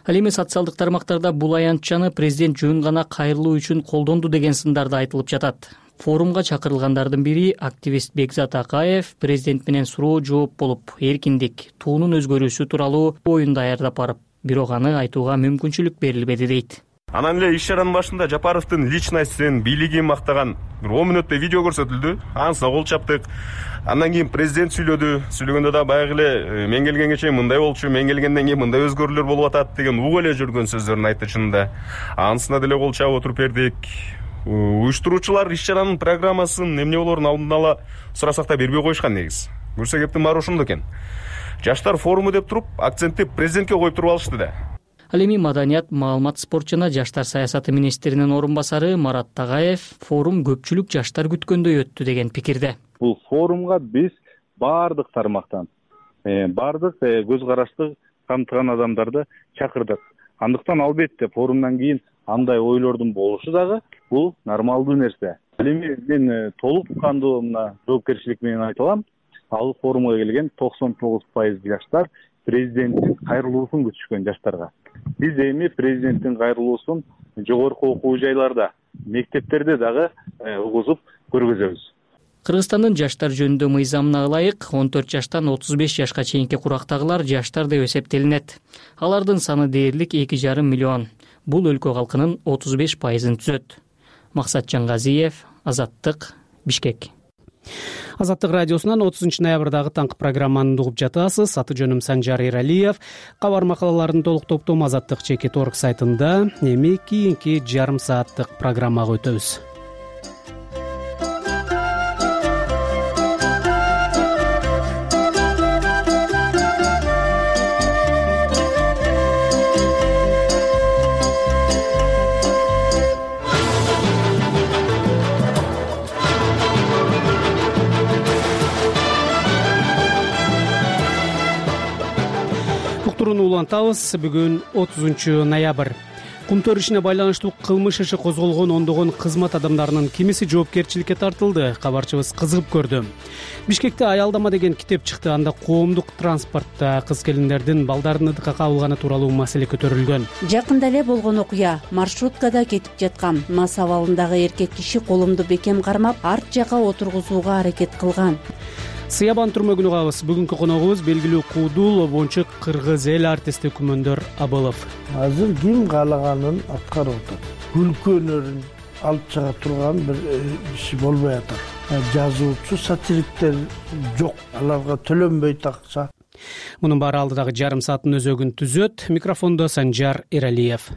Ал эми социалдык тармактарда бул аянтчаны президент жөн гана кайрылуу үчүн колдонду деген сындарда айтылып жатат. Форумга чакырылгандардын бири активист Бекзат Акаев президент менен суроо жооп болуп, эркиндик, туунун өзгөрүүсү тууралуу оюн даярдап барып, бирок аны айтууга мүмкүнчүлүк берилбеди дейт. Анан эле иш чаранын башында Жапаровдун личностин, бийлигин мактаган бир он мүнөттөй видео көрсөтүлдү. Анысына кол чаптык. Андан кийин президент сүйлөдү. Сүйлөгөндө да баягы эле мен келгенге чейин мындай болчу, мен келгенден кийин мындай өзгөрүүлөр болуп атат деген угуп эле жүргөн сөздөрүн айтты чынында. Анысына деле кол чаап отуруп бердик. Уюштуруучулар иш чаранын программасын эмне болоорун алдын ала сурасак да бербей коюшкан негиз. Көрсө кептин баары ошондо экен. Жаштар форуму деп туруп, акцентти президентке коюп туруп алышты да. Ал эми маданият, маалымат, спорт жана жаштар саясаты министринин орун басары Марат Тагаев форум көпчүлүк жаштар күткөндөй өттү деген пикирде. Бул форумга биз баардык тармактан, баардык көз карашты камтыган адамдарды чакырдык. Андыктан албетте форумдан кийин андай ойлордун болушу дагы бул нормалдуу нерсе. Ал эми мен толук кандуу мына жоопкерчилик менен айта алам. Ал форумга келген токсон тогуз пайыз жаштар президенттин кайрылуусун күтүшкөн жаштарга. Биз эми президенттин кайрылуусун жогорку окуу жайларда, мектептерде дагы угузуп көргөзөбүз. Кыргызстандын жаштар жөнүндө мыйзамына ылайык он төрт жаштан отуз беш жашка чейинки курактагылар жаштар деп эсептелинет. Алардын саны дээрлик эки жарым миллион. Бул өлкө калкынын отуз беш пайызын түзөт. Максат Жангазиев, Азаттык, Бишкек. Азаттык радиосунан отузунчу ноябрдагы таңкы программаны угуп жатасыз. Аты жөнүм Санжар Эралиев. Кабар макалаларын толук топтом Азаттык чекит точка орг сайтында. Эми кийинки жарым сааттык программага өтөбүз. Улантабыз. Бүгүн отузунчу ноябрь. Кумтөр ишине байланыштуу кылмыш иши козголгон ондогон кызмат адамдарынын кимиси жоопкерчиликке тартылды. Кабарчыбыз кызыгып көрдү. Бишкекте аялдама деген китеп чыкты. Анда коомдук транспортто кыз келиндердин балдарын ыдыкка кабылганы тууралуу маселе көтөрүлгөн. Жакында эле болгон окуя. Маршруткада кетип жаткан мас абалындагы эркек киши колумду бекем кармап, арт жакка отургузууга аракет кылган. Сыябан түрмөгүн угабыз. Бүгүнкү коногубуз белгилүү куудул обончук кыргыз эл артисти Күмөндөр Абылов. Азыр ким каалаганын аткарып атат. Күлкү өнөрүн алып чыга турган бир иши болбой атат. Жазуучу, сатириктер жок. Аларга төлөнбөйт акча. Мунун баары алдыдагы жарым сааттын өзөгүн түзөт. Микрофондо Санжар Эралиев.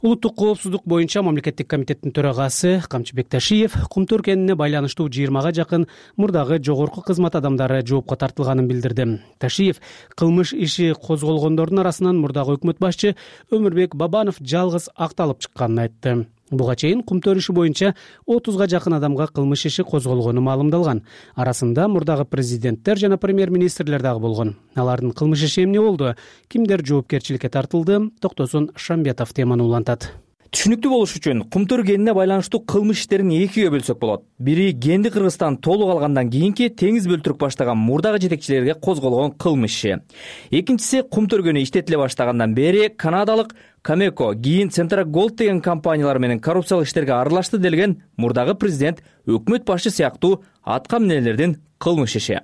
Улуттук коопсуздук боюнча мамлекеттик комитеттин төрагасы Камчыбек Ташиев Кумтөр кенине байланыштуу жыйырмага жакын мурдагы жогорку кызмат адамдары жоопко тартылганын билдирди. Ташиев кылмыш иши козголгондордун арасынан мурдагы өкмөт башчы Өмүрбек Бабанов жалгыз акталып чыкканын айтты. Буга чейин Кумтөр иши боюнча отузга жакын адамга кылмыш иши козголгону маалымдалган. Арасында мурдагы президенттер жана премьер-министрлер дагы болгон. Алардын кылмыш иши эмне болду? Кимдер жоопкерчиликке тартылды? Токтосун Шамбетов теманы улантат. Түшүнүктүү болуш үчүн Кумтөр кенине байланыштуу кылмыш иштерин экиге бөлсөк болот. Бири Кенди Кыргызстан толук алгандан кийинки Теңиз бөлтүрүк баштаган мурдагы жетекчилерге козголгон кылмыш иши. Экинчиси Кумтөр көнү иштетиле баштагандан бери канадалык Камеко, кийин Центра Голд деген компаниялар менен коррупциялык иштерге аралашты делген мурдагы президент, өкмөт башчы сыяктуу атка минелердин кылмыш иши.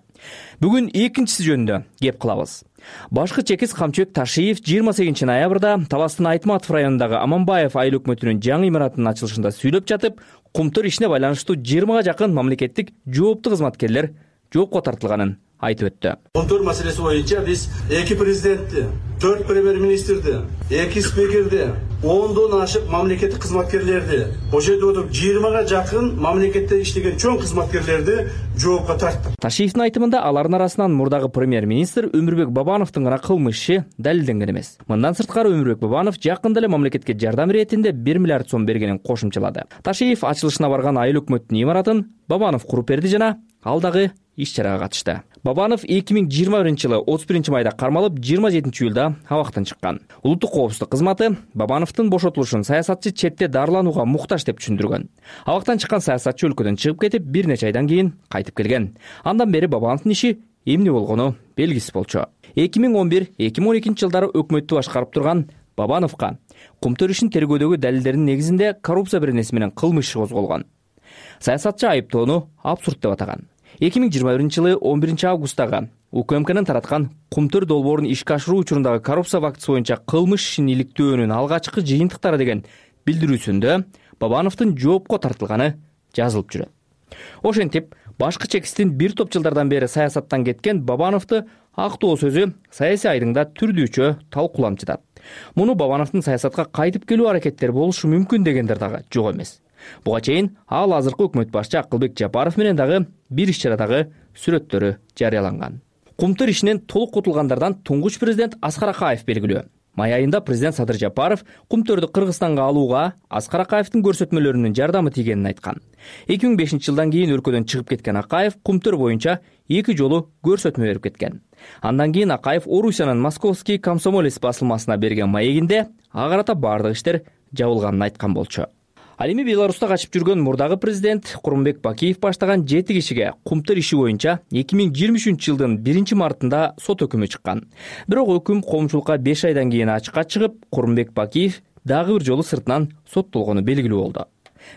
Бүгүн экинчиси жөнүндө кеп кылабыз. Башкы чекис Камчыбек Ташиев жыйырма сегизинчи ноябрда Таластын Айтматов районундагы Аманбаев айыл өкмөтүнүн жаңы имаратынын ачылышында сүйлөп жатып, Кумтөр ишине байланыштуу жыйырмага жакын мамлекеттик жооптуу кызматкерлер жоопко тартылганын айтып өттү. Кумтөр маселеси боюнча биз эки президентти, төрт премьер-министрди, эки спикерди, ондон ашык мамлекеттик кызматкерлерди, ошол жерде отуруп жыйырмага жакын мамлекетте иштеген чоң кызматкерлерди жоопко тарттык. Ташиевдин айтымында алардын арасынан мурдагы премьер-министр Өмүрбек Бабановдун гана кылмыш иши далилденген эмес. Мындан сырткары Өмүрбек Бабанов жакында эле мамлекетке жардам иретинде бир миллиард сом бергенин кошумчалады. Ташиев ачылышына барган айыл өкмөттүн имаратын Бабанов куруп берди жана ал дагы иш-чарага катышты. Бабанов эки миң жыйырма биринчи жылы отуз биринчи майда кармалып, жыйырма жетинчи июлда абактан чыккан. Улуттук коопсуздук кызматы Бабановдун бошотулушун саясатчы четте дарыланууга муктаж деп түшүндүргөн. Абактан чыккан саясатчы өлкөдөн чыгып кетип, бир нече айдан кийин кайтып келген. Андан бери Бабановдун иши эмне болгону белгисиз болчу. эки миң он бир — эки миң он экинчи жылдары өкмөттү башкарып турган Бабановго Кумтөр ишин тергөөдөгү далилдердин негизинде коррупция беренеси менен кылмыш иши козголгон. Саясатчы айыптоону абсурд деп атаган. эки миң жыйырма биринчи жылы он биринчи августтагы УКМКнын тараткан Кумтөр долбоорун ишке ашыруу учурундагы коррупция фактысы боюнча кылмыш ишин иликтөөнүн алгачкы жыйынтыктары деген билдирүүсүндө Бабановдун жоопко тартылганы жазылып жүрөт. Ошентип, башкы чекистин бир топ жылдардан бери саясаттан кеткен Бабановду актоо сөзү саясий айдыңда түрдүүчө талкууланып жатат. Муну Бабановдун саясатка кайтып келүү аракеттери болушу мүмкүн дегендер дагы жок эмес. Буга чейин ал азыркы өкмөт башчы Акылбек Жапаров менен дагы бир иш-чарадагы сүрөттөрү жарыяланган. Кумтөр ишинен толук кутулгандардан туңгуч президент Аскар Акаев белгилүү. Май айында президент Садыр Жапаров Кумтөрдү Кыргызстанга алууга Аскар Акаевдин көрсөтмөлөрүнүн жардамы тийгенин айткан. эки миң бешинчи жылдан кийин өлкөдөн чыгып кеткен Акаев Кумтөр боюнча эки жолу көрсөтмө берип кеткен. Андан кийин Акаев Орусиянын Московский комсомолец басылмасына берген маегинде ага карата бардык иштер жабылганын айткан болчу. Ал эми Беларуста качып жүргөн мурдагы президент Курманбек Бакиев баштаган жети кишиге кумтөр иши боюнча эки миң жыйырма үчүнчү жылдын биринчи мартында сот өкүмү чыккан. Бирок өкүм коомчулукка беш айдан кийин ачыкка чыгып, Курманбек Бакиев дагы бир жолу сыртынан соттолгону белгилүү болду.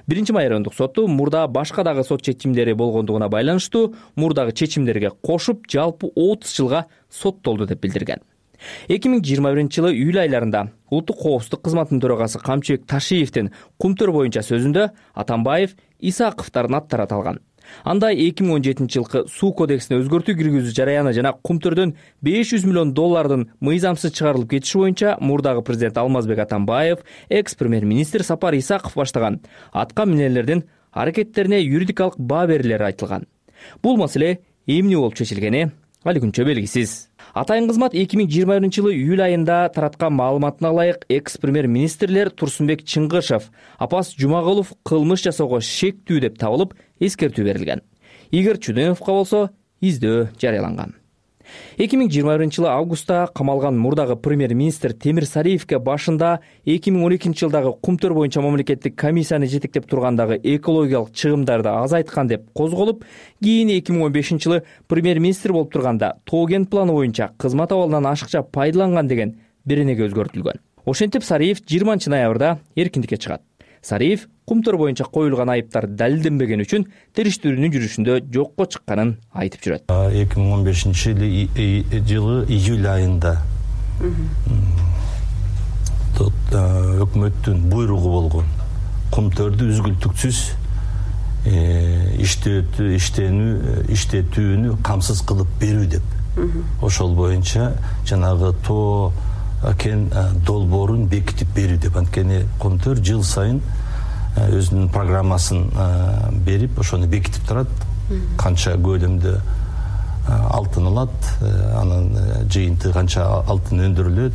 Биринчи майрандык соту мурда башка дагы сот чечимдери болгондугуна байланыштуу мурдагы чечимдерге кошуп жалпы отуз жылга соттолду деп билдирген. эки миң жыйырма биринчи жылы июль айларында улуттук коопсуздук кызматынын төрагасы Камчыбек Ташиевдин кумтөр боюнча сөзүндө Атамбаев, Исаковдордун аттары аталган. Анда эки миң он жетинчи жылкы суу кодексине өзгөртүү киргизүү жараяны жана кумтөрдөн беш жүз миллион доллардын мыйзамсыз чыгарылып кетиши боюнча мурдагы президент Алмазбек Атамбаев, экс-премьер-министр Сапар Исаков баштаган атка минерлердин аракеттерине юридикалык баа берилери айтылган. Бул маселе эмне болуп чечилгени али күнчө белгисиз. Атайын кызмат эки миң жыйырма биринчи жылы июль айында тараткан маалыматына ылайык экс-премьер-министрлер Турсунбек Чыңгышев, Апас Жумагулов кылмыш жасоого шектүү деп табылып, эскертүү берилген. Игорь Чуденовго болсо издөө жарыяланган. эки миң жыйырма биринчи жылы августта камалган мурдагы премьер-министр Темир Сариевке башында эки миң он экинчи жылдагы кумтөр боюнча мамлекеттик комиссияны жетектеп тургандагы экологиялык чыгымдарды азайткан деп козголуп, кийин эки миң он бешинчи жылы премьер-министр болуп турганда Тоген планы боюнча кызмат абалынан ашыкча пайдаланган деген беренеге өзгөртүлгөн. Ошентип Сариев жыйырманчы ноябрда эркиндикке чыгат. Сариев кумтөр боюнча коюлган айыптар далилденбеген үчүн териштирүүнүн жүрүшүндө жокко чыкканын айтып жүрөт. эки миң он бешинчи жылы июль айында өкмөттүн буйругу болгон кумтөрдү үзгүлтүксүз иштенүү иштетүүнү камсыз кылып берүү деп. Ошол боюнча жанагы тоо кен долбоорун бекитип берүү деп. Анткени кумтөр жыл сайын өзүнүн программасын берип, ошону бекитип турат. Канча көлөмдө алтын алат, анын жыйынтыгы канча алтын өндүрүлөт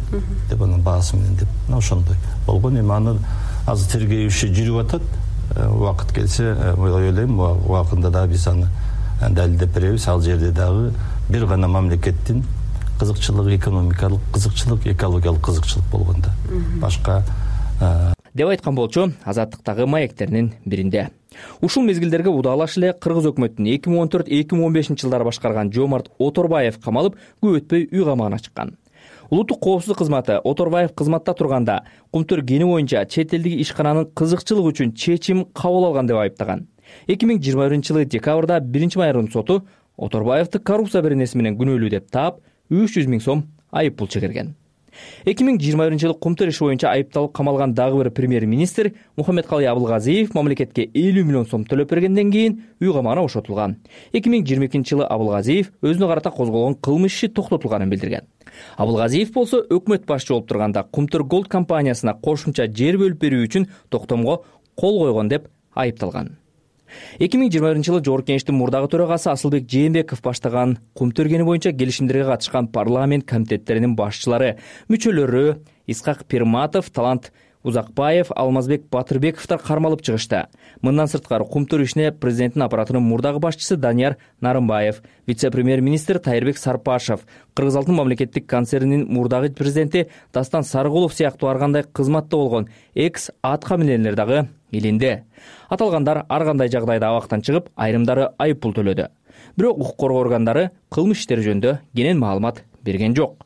деп, анын баасы менен деп. Ошондой болгон. Эми аны азыр тергөө иши жүрүп атат. Убакыт келсе, ойлойм, убакында да биз аны далилдеп беребиз. Ал жерде дагы бир гана мамлекеттин кызыкчылык, экономикалык кызыкчылык, экологиялык кызыкчылык болгондо. Башка деп айткан болчу Азаттыктагы маектеринин биринде. Ушул мезгилдерге удаалаш эле Кыргыз өкмөтүнүн эки миң он төрт эки миң он бешинчи жылдары башкарган Жомарт Оторбаев камалып, көп өтпөй үй камагына чыккан. Улуттук коопсуздук кызматы Оторбаев кызматта турганда кумтөр кени боюнча чет элдик ишкананын кызыкчылыгы үчүн чечим кабыл алган деп айыптаган. эки миң жыйырма биринчи жылы декабрда биринчи майрандык соту Оторбаевди коррупция беренеси менен күнөөлүү деп таап, үч жүз миң сом айып пул чегерген. эки миң жыйырма биринчи жылы кумтөр иши боюнча айыпталып камалган дагы бир премьер-министр Мухаммедкалый Абылгазиев мамлекетке элүү миллион сом төлөп бергенден кийин үй камагына бошотулган. эки миң жыйырма экинчи жылы Абылгазиев өзүнө карата козголгон кылмыш иши токтотулганын билдирген. Абылгазиев болсо өкмөт башчы болуп турганда Кумтөр Голд компаниясына кошумча жер бөлүп берүү үчүн токтомго кол койгон деп айыпталган. эки миң жыйырма биринчи жылы Жогорку Кеңештин мурдагы төрагасы Асылбек Жээнбеков баштаган кумтөр кени боюнча келишимдерге катышкан парламент комитеттеринин башчылары, мүчөлөрү Исхак Пирматов, Талант Узакбаев, Алмазбек Батырбековдор кармалып чыгышты. Мындан сырткары кумтөр ишине президенттин аппаратынын мурдагы башчысы Данияр Нарымбаев, вице-премьер-министр Тайырбек Сарпашев, Кыргыз Алтын мамлекеттик концернинин мурдагы президенти Дастан Сарыгулов сыяктуу ар кандай кызматта болгон экс атка минерлер дагы илинде. Аталгандар ар кандай жагдайда абактан чыгып, айрымдары айып пул төлөдү. Бирок укук коргоо органдары кылмыш иштери жөнүндө кенен маалымат берген жок.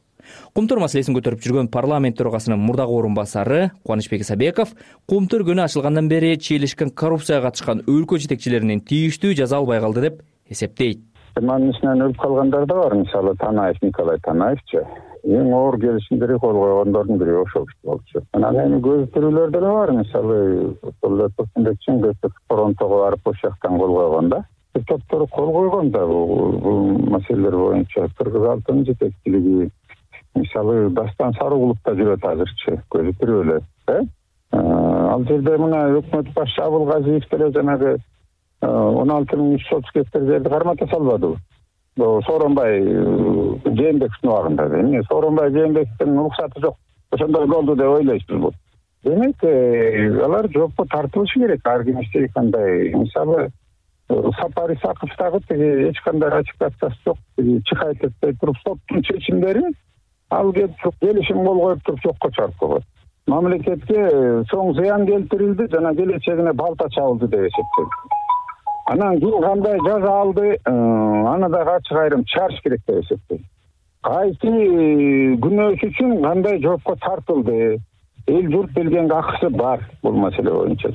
Кумтөр маселесин көтөрүп жүргөн парламент төрагасынын мурдагы орун басары Кубанычбек Исабеков кумтөр күнү ачылгандан бери чийлешкен коррупцияга катышкан өлкө жетекчилеринин тийиштүү жаза албай калды деп эсептейт. Анын ичинен өлүп калгандар да бар. Мисалы Танаев, Николай Танаевчи эң оор келишимдерди кол койгондордун бири ошол киши болчу. Анан эми көзөтүрүүлөр деле бар. Мисалы Турсунбек Чыңгысов фронтого барып ошол жактан кол койгон да. Топтор кол койгон да бул маселелер боюнча. Кыргыз Алтын жетекчилиги мисалы Дастан Сарыгулов да жүрөт азырчы көзөтүрүүлөр. Ал жерде мына өкмөт башчы Абылгазиев деле жанагы он алты миң үч жүз отуз гектар жерди кармата салбадыбы? Сооронбай Жээнбековдун убагында. Эмне Сооронбай Жээнбековдун уруксаты жок. Ошондой болду деп ойлойсузбу? Демек, алар жоопко тартылышы керек. Ар ким иштей кандай. Мисалы Сапар Исаковдагы тиги эч кандай ратификациясы жок. Чыгайт этпей туруп соттун чечимдери ал келип туруп келишим кол коюп туруп жокко чыгарып койгон. мамлекетке чоң зыян келтирилди жана келечегине балта чабылды деп эсептейм. Анан ким кандай жаза алды, аны дагы ачык айрым чыгарыш керек деп эсептейм. Кайсы күнөөсү үчүн кандай жоопко тартылды, эл журт билгенге акысы бар бул маселе боюнча.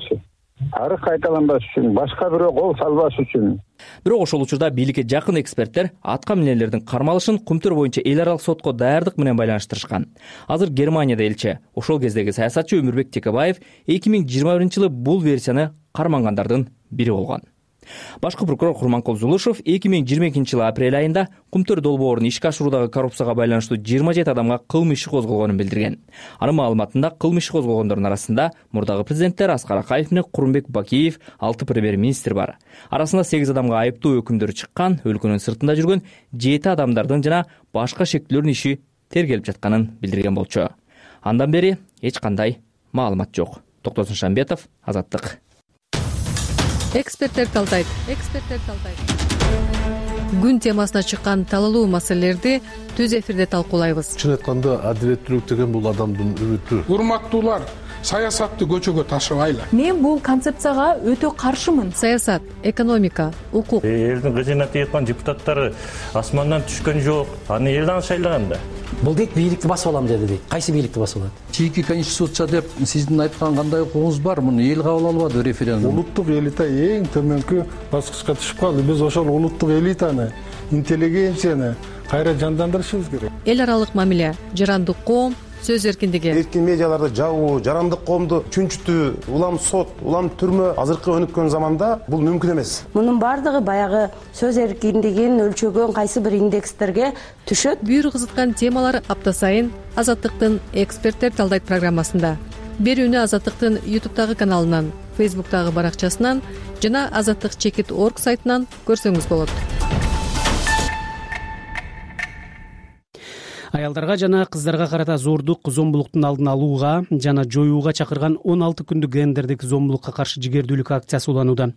Тарых кайталанбаш үчүн, башка бирөө кол салбаш үчүн. Бирок ошол учурда бийликке жакын эксперттер атка минелердин кармалышын Кумтөр боюнча эл аралык сотко даярдык менен байланыштырышкан. Азыр Германияда элчи, ошол кездеги саясатчы Өмүрбек Текебаев эки миң жыйырма биринчи жылы бул версияны кармангандардын бири болгон. Башкы прокурор Курманкул Зулушев эки миң жыйырма экинчи жылы апрель айында Кумтөр долбоорун ишке ашыруудагы коррупцияга байланыштуу жыйырма жети адамга кылмыш иши козголгонун билдирген. Анын маалыматында кылмыш иши козголгондордун арасында мурдагы президенттер Аскар Акаев менен Курманбек Бакиев, алты премьер-министр бар. Арасында сегиз адамга айыптуу өкүмдөр чыккан, өлкөнүн сыртында жүргөн жети адамдардын жана башка шектүүлөрдүн иши тергелип жатканын билдирген болчу. Андан бери эч кандай маалымат жок. Токтосун Шамбетов, Азаттык. Эксперттер талдайт. Эксперттер талдайт. Күн темасына чыккан талалуу маселелерди түз эфирде талкуулайбыз. Чын айтканда адилеттүүлүк деген бул адамдын үмүтү. Урматтуулар, саясатты көчөгө ташыбайлы. Мен бул концепцияга өтө каршымын. Саясат, экономика, укук. Элдин кызына тийган депутаттары асмандан түшкөн жок. Аны элден шайлаган да. Бул дейт бийликти басып алам деди дейт. Кайсы бийликти басып алат? Чийки конституция деп сиздин айткан кандай укугуңуз бар? Муну эл кабыл албады референдум. Улуттук элита эң төмөнкү баскычка түшүп калды. Биз ошол улуттук элитаны, интеллигенцияны кайра жандандырышыбыз керек. Эл аралык мамиле, жарандык коом, сөз эркиндиги. Эркин медиаларды жабуу, жарандык коомду чүнчүтүү, улам сот, улам түрмө азыркы өнүккөн заманда бул мүмкүн эмес. Мунун бардыгы баягы сөз эркиндигин өлчөгөн кайсы бир индекстерге түшөт. Бүйүр кызыткан темалар апта сайын Азаттыктын эксперттер талдайт программасында. Берүүнү Азаттыктын ютубтагы каналынан, фейсбуктагы баракчасынан жана азаттык чекит точка орг сайтынан көрсөңүз болот. Аялдарга жана кыздарга карата зордук, зомбулуктун алдын алууга жана жоюуга чакырган он алты күндүк гендердик зомбулукка каршы жигердүүлүк акциясы уланууда.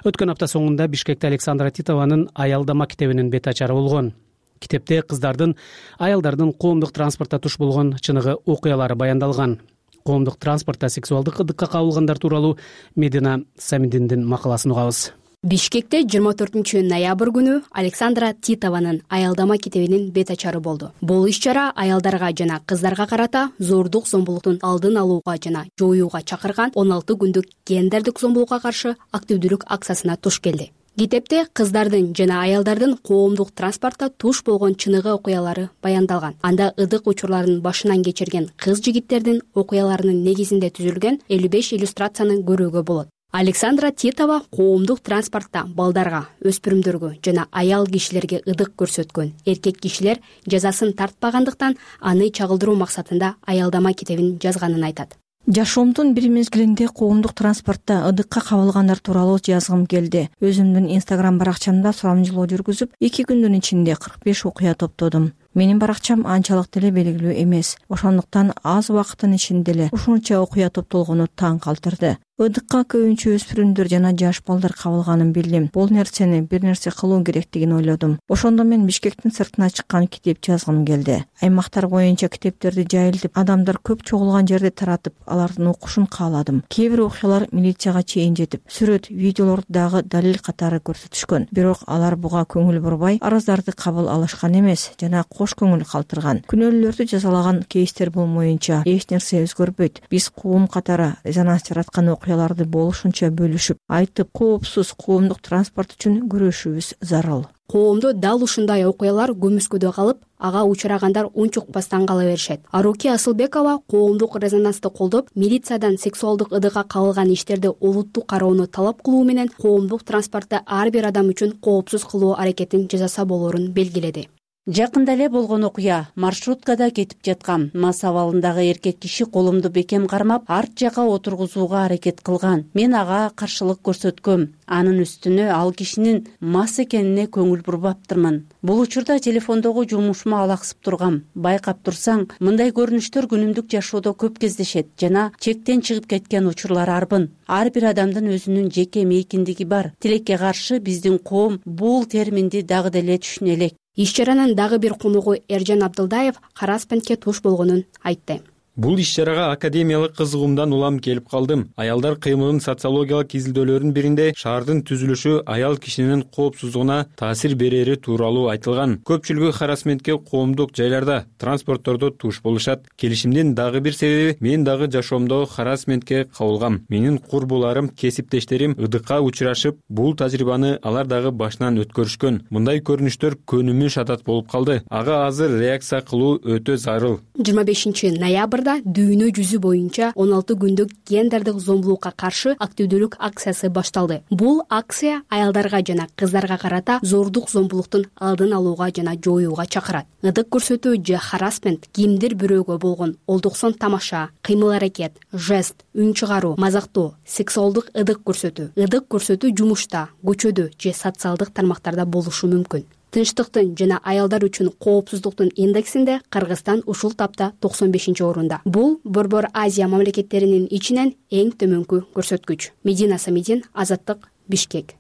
Өткөн апта соңунда Бишкекте Александра Титованын аялдама китебинин бет ачары болгон. Китепте кыздардын, аялдардын коомдук транспортто туш болгон чыныгы окуялары баяндалган. Коомдук транспортто сексуалдык ыдыкка кабылгандар тууралуу Медина Самидиндин макаласын угабыз. Бишкекте жыйырма төртүнчү ноябрь күнү Александра Титованын аялдама китебинин бет ачары болду. Бул иш-чара аялдарга жана кыздарга карата зордук, зомбулуктун алдын алууга жана жоюуга чакырган он алты күндүк гендердик зомбулукка каршы активдүүлүк акциясына туш келди. Китепте кыздардын жана аялдардын коомдук транспортто туш болгон чыныгы окуялары баяндалган. Анда ыдык учурларын башынан кечирген кыз жигиттердин окуяларынын негизинде түзүлгөн элүү беш иллюстрацияны көрүүгө болот. Александра Титова коомдук транспортто балдарга, өспүрүмдөргө жана аял кишилерге ыдык көрсөткөн эркек кишилер жазасын тартпагандыктан аны чагылдыруу максатында аялдама китебин жазганын айтат. Жашоомдун бир мезгилинде коомдук транспортто ыдыкка кабылгандар тууралуу жазгым келди. Өзүмдүн Инстаграм баракчамда сурамжылоо жүргүзүп, эки күндүн ичинде кырк беш окуя топтодум. Менин баракчам анчалык деле белгилүү эмес. Ошондуктан аз убакыттын ичинде эле ушунча окуя топтолгону таң калтырды. Ыдыкка көбүнчө өспүрүмдөр жана жаш балдар кабылганын билдим. Бул нерсени бир нерсе кылуу керектигин ойлодум. Ошондо мен Бишкектин сыртына чыккан китеп жазгым келди. Аймактар боюнча китептерди жайылтып, адамдар көп чогулган жерде таратып, алардын окушун кааладым. Кээ бир окуялар милицияга чейин жетип, сүрөт, видеолорду дагы далил катары көрсөтүшкөн. Бирок алар буга көңүл бурбай, арыздарды кабыл алышкан эмес жана кош көңүл калтырган. Күнөөлүүлөрдү жазалаган кейстер болмоюнча эч нерсе өзгөрбөйт. Биз коом катары резонанс жараткан окуяларды болушунча бөлүшүп, айтып, коопсуз коомдук транспорт үчүн күрөшүүбүз зарыл. Коомдо дал ушундай окуялар көмүскөдө калып, ага учурагандар унчукпастан кала беришет. Аруки Асылбекова коомдук резонансты колдоп, милициядан сексуалдык ыдыкка кабылган иштерди олуттук кароону талап кылуу менен коомдук транспортто ар бир адам үчүн коопсуз кылуу аракетин жасаса болорун белгиледи. Жакында эле болгон окуя. Маршруткада кетип жаткан мас абалындагы эркек киши колумду бекем кармап, арт жакка отургузууга аракет кылган. Мен ага каршылык көрсөткөм. Анын үстүнө ал кишинин мас экенине көңүл бурбаптырмын. Бул учурда телефондогу жумушума алаксып тургам. Байкап турсаң, мындай көрүнүштөр күнүмдүк жашоодо көп кездешет жана чектен чыгып кеткен учурлар арбын. Ар бир адамдын өзүнүн жеке мейкиндиги бар. Тилекке каршы биздин коом бул терминди дагы деле түшүнө элек. Иш-чаранын дагы бир коногу Эржан Абдылдаев хараспентке туш болгонун айтты. Бул иш-чарага академиялык кызыгуумдан улам келип калдым. Аялдар кыймылынын социологиялык изилдөөлөрүнүн биринде шаардын түзүлүшү аял кишинин коопсуздугуна таасир берери тууралуу айтылган. Көпчүлүгү харассментке коомдук жайларда, транспорттордо туш болушат. Келишимдин дагы бир себеби мен дагы жашоомдо харассментке кабылгам. Менин курбуларым, кесиптештерим ыдыкка учурашып, бул тажрыйбаны алар дагы башынан өткөрүшкөн. Мындай көрүнүштөр көнүмүш адат болуп калды. Ага азыр реакция кылуу өтө зарыл. жыйырма бешинчи ноябрда дүйнө жүзү боюнча он алты күндүк гендердик зомбулукка каршы активдүүлүк акциясы башталды. Бул акция аялдарга жана кыздарга карата зордук зомбулуктун алдын алууга жана жоюуга чакырат. Ыдык көрсөтүү же харассмент кимдир бирөөгө болгон олдуксон тамаша, кыймыл-аракет, жест, үн чыгаруу, мазактоо, сексуалдык ыдык көрсөтүү, ыдык көрсөтүү жумушта, көчөдө же социалдык тармактарда болушу мүмкүн. Тынчтыктын жана аялдар үчүн коопсуздуктун индексинде Кыргызстан ушул тапта токсон бешинчи орунда. Бул Борбор Азия мамлекеттеринин ичинен эң төмөнкү көрсөткүч. Медина Самидин, Азаттык, Бишкек.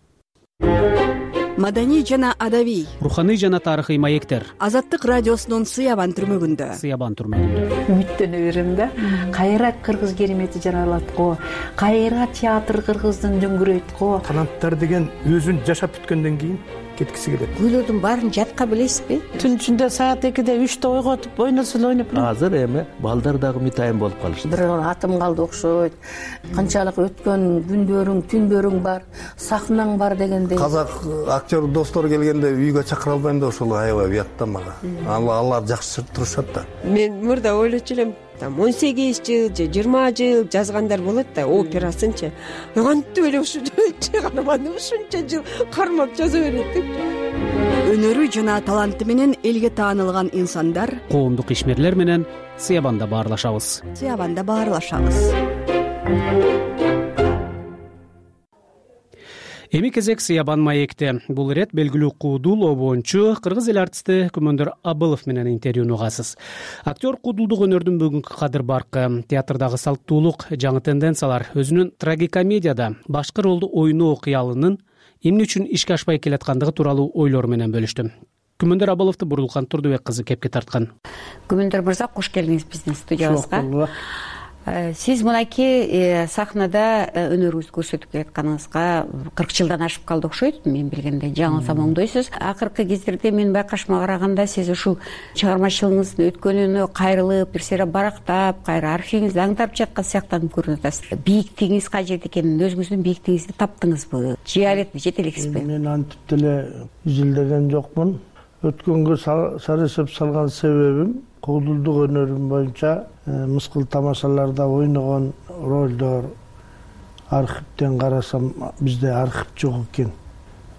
Маданий жана адабий, руханий жана тарыхый маектер. Азаттык радиосунун Сыябан түрмөгүндө. Сыябан түрмөгүндө. Үмүттөнө берем да. Кайра кыргыз керемети жаралат го. Кайра театр кыргыздын дөңгүрөйт го. Канаттар деген өзүн жашап бүткөндөн кийин кеткиси келет. Күйлөрдүн баарын жатка билесизби? Түн ичинде саат экиде үчтө ойготуп ойносун ойноп. Азыр эми балдар дагы мытайын болуп калышты. Бир атым калды окшойт. Канчалык өткөн күндөрүң, түндөрүң бар, сахнаң бар дегендей. Казак актер достор келгенде үйгө чакыра албайм да ошол аябай уят да мага. Алар жакшы турушат да. Мен мурда ойлочу элем, там он сегиз жыл же жыйырма жыл жазгандар болот да, операсынчы. Кантип эле ушу чыгарманы ушунча жыл кармап жаза берет. Өнөрү жана таланты менен элге таанылган инсандар коомдук ишмерлер менен Сыябанда баарлашабыз. Сыябанда баарлашабыз. Эми кезек Сыябан маекте. Бул ирет белгилүү куудул, обончу кыргыз эл артисти Күмөндөр Абылов менен интервьюну угасыз. Актер куудулдук өнөрдүн бүгүнкү кадыр баркы, театрдагы салттуулук, жаңы тенденциялар, өзүнүн трагикомедияда башкы ролду ойноо кыялынын эмне үчүн ишке ашпай келаткандыгы тууралуу ойлору менен бөлүштү. Күмөндөр Абыловду Бурулкан Турдубек кызы кепке тарткан. Күмөндөр мырза, кош келдиңиз биздин студиябызга. Сиз мынакей сахнада өнөрүңүздү көрсөтүп келатканыңызга кырк жылдан ашып калды окшойт, мен билгенде. Жаңылсам оңдойсуз. Акыркы кездерде мен байкашыма караганда сиз ушул чыгармачылыгыңыздын өткөнүнө кайрылып, бир сыйра барактап, кайра архивиңизди аңдап жаткан сыяктанып көрүнүп атасыз. Бийиктигиңиз кайерде экенин, өзүңүздүн бийиктигиңизди таптыңызбы? Жыялет жете элексизби? Мен антип деле изилдеген жокмун. Өткөнгө сары эсеп салган себебим куудулдук өнөрүм боюнча мыскыл тамашаларда ойногон ролдор архивден карасам бизде архив жок экен.